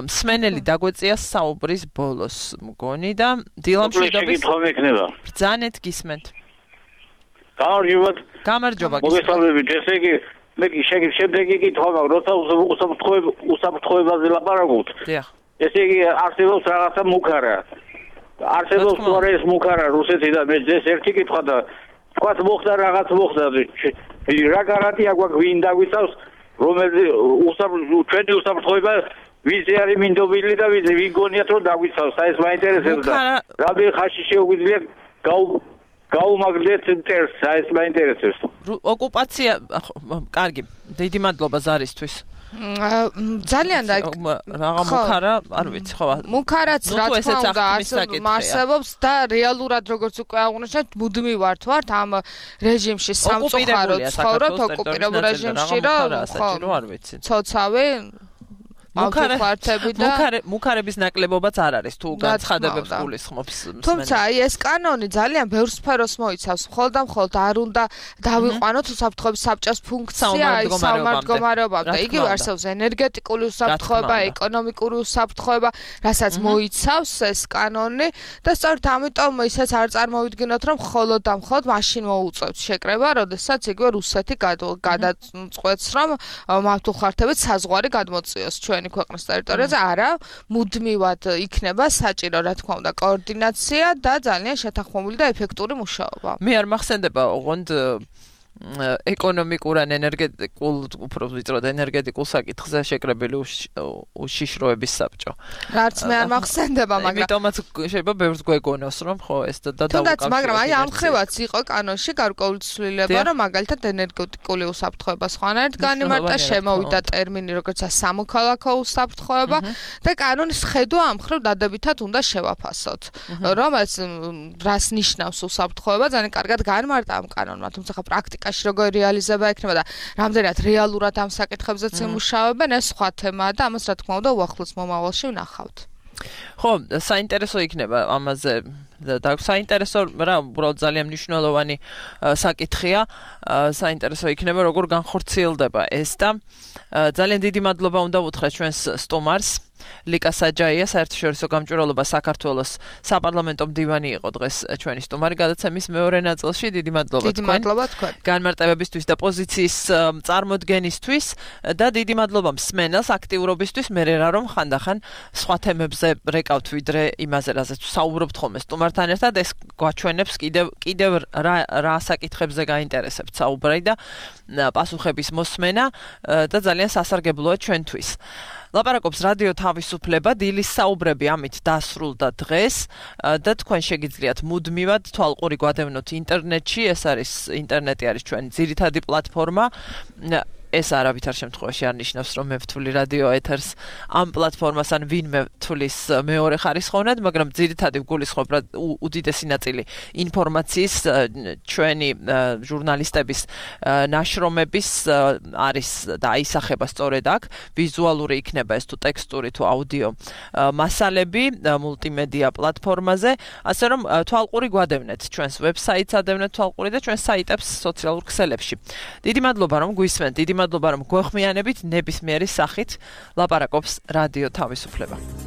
მსმენელი დაგვეწია საუბრის ბოლოს მგონი და დილამშვიდობის ბრძანეთ გისმენთ. გამარჯობა. გამარჯობა. მოგესალმებით, ესე იგი მე შეგიძლია შემდეგი კითხვა მაქვს, როცა უსაფრთხოებაზე ლაპარაკობთ. დიახ. ესე იგი არსებობს რაღაცა მუქარა. არსებობს თორე ეს მუქარა რუსეთიდან მე ეს ერთი კითხვა და თქვათ მოხდა რაღაც მოხდა რა გარანტია გვაქვს ვინ დაგვიცავს რომელიც ჩვენი უსაფრთხოება ვიზი არის მინდობილი და ვიზი ვინ გონიათ რომ დაგვიცავს აი ეს მაინტერესებს და რამე ხაში შეუგვიძლია გაუმაგდეთ წერს აი ეს მაინტერესებს ოკუპაცია კარგი დიდი მადლობა ზარისთვის ძალიან და რაღა მუქარა, არ ვიცი, ხო. მუქარაც რა თქმა უნდა არსებობს და რეალურად როგორც უკვე აღნიშნეთ, მუდმივად ვართ ამ რეჟიმში სამწუხაროდ ცხოვრობთ ოკუპირებულ რეჟიმში, რომ არ ვიცი. ცოცავი მუქარები და მუქარების ნაკლებობაც არ არის თუ განცხადებებს გულისხმობს მსმენელი. თუმცა აი ეს კანონი ძალიან ბევრ სფეროს მოიცავს, მხოლოდ და მხოლოდ არ უნდა დავიყვანოთ უსაფრთხოების საბჭოს ფუნქცია აი საომარ-მდგომარეობამდე. იგივე არსებობს ენერგეტიკული უსაფრთხოება, ეკონომიკური უსაფრთხოება, რასაც მოიცავს ეს კანონი და სწორედ ამიტომ ისეც არ წარმოვიდგინოთ, რომ მხოლოდ და მხოლოდ მაშინ მოუწევთ შეკრება, როდესაც იგივე რუსეთი გადაწყვეტს, რომ მართლმხარდებით საზღვარი გადმოწიოს ჩვენი ქვეყნის ტერიტორიაზე, არა, მუდმივად იქნება საჭირო, რა თქმა უნდა, კოორდინაცია და ძალიან შეთანხმებული და ეფექტური მუშაობა. მე არ მახსენდება, ოღონდ ეკონომიკურ ან ენერგეტიკულ, უფრო ვიწროდ ენერგეტიკულ საკითხზე შეკრებილი უშიშროების საბჭო. რაც მე არ მახსენდება, მაგრამ იმიტომაც შეიძლება ბევრს გვეგონოს, რომ ხო ეს და თუნდაც, მაგრამ აი ამ ხევაც იყო კანონში გარკვეული ცვლილება, რომ მაგალითად ენერგეტიკული უსაფრთხოება სხვანაირად განიმარტა, შემოვიდა ტერმინი როგორც სამოქალაქო უსაფრთხოება და კანონის ხედვა ამ ხრივ დადებითად უნდა შევაფასოთ. რომ ეს რას ნიშნავს უსაფრთხოება, ძალიან კარგად განმარტა ამ კანონმა, თუმცა პრაქტიკა პრაქტიკაში როგორ რეალიზება ექნება და რამდენად რეალურად ამ საკითხებზეც იმუშავებენ, ეს სხვა თემაა და ამას რა თქმა უნდა უახლოეს მომავალში ვნახავთ. ხო, საინტერესო იქნება ამაზე და საინტერესო რა უბრალოდ ძალიან მნიშვნელოვანი საკითხია, საინტერესო იქნება როგორ განხორციელდება ეს და ძალიან დიდი მადლობა უნდა ვუთხრათ ჩვენს სტუმარს ლიკა საჯაია, საერთაშორისო გამჭვირვალობა საქართველოს საპარლამენტო მდივანი იყო დღეს ჩვენი სტუმარი გადაცემის მეორე ნაწილში. დიდი მადლობა დიდი მადლობა თქვენ განმარტებებისთვის და პოზიციის წარმოდგენისთვის და დიდი მადლობა მსმენელს აქტიურობისთვის. მე რა რომ ხანდახან სხვა თემებზე რეკავთ ვიდრე იმაზე, რაზეც საუბრობთ ხოლმე სტუმართან ერთად, ეს გვაჩვენებს კიდევ კიდევ რა რა საკითხებზე გაინტერესებთ საუბარი და პასუხების მოსმენა და ძალიან სასარგებლოა ჩვენთვის. ლაპარაკობს რადიო თავისუფლება, დილის საუბრები ამით დასრულდა დღეს და თქვენ შეგიძლიათ მუდმივად თვალყური გვადევნოთ ინტერნეტში, ეს არის ინტერნეტი არის ჩვენი ძირითადი პლატფორმა. ეს არავითარ შემთხვევაში არ ნიშნავს, რომ მე ვთვლი რადიო ეთერს ამ პლატფორმას ან ვინმე ვთვლის მეორე ხარისხოვნად, მაგრამ ძირითადად ვგულისხმობ, რომ უდიდესი ნაწილი ინფორმაციის ჩვენი ჟურნალისტების ნაშრომების არის და აისახება სწორედ აქ, ვიზუალური იქნება ეს თუ ტექსტური თუ აუდიო მასალები მულტიმედია პლატფორმაზე, ასე რომ თვალყური გვადევნეთ ჩვენს ვებსაიტს, ადევნეთ თვალყური და ჩვენს საიტებს სოციალურ ქსელებში. დიდი მადლობა რომ გვისმენთ, დიდი მადლობა რომ გვეხმიანებით ნებისმიერი სახით ლაპარაკობს რადიო თავისუფლება.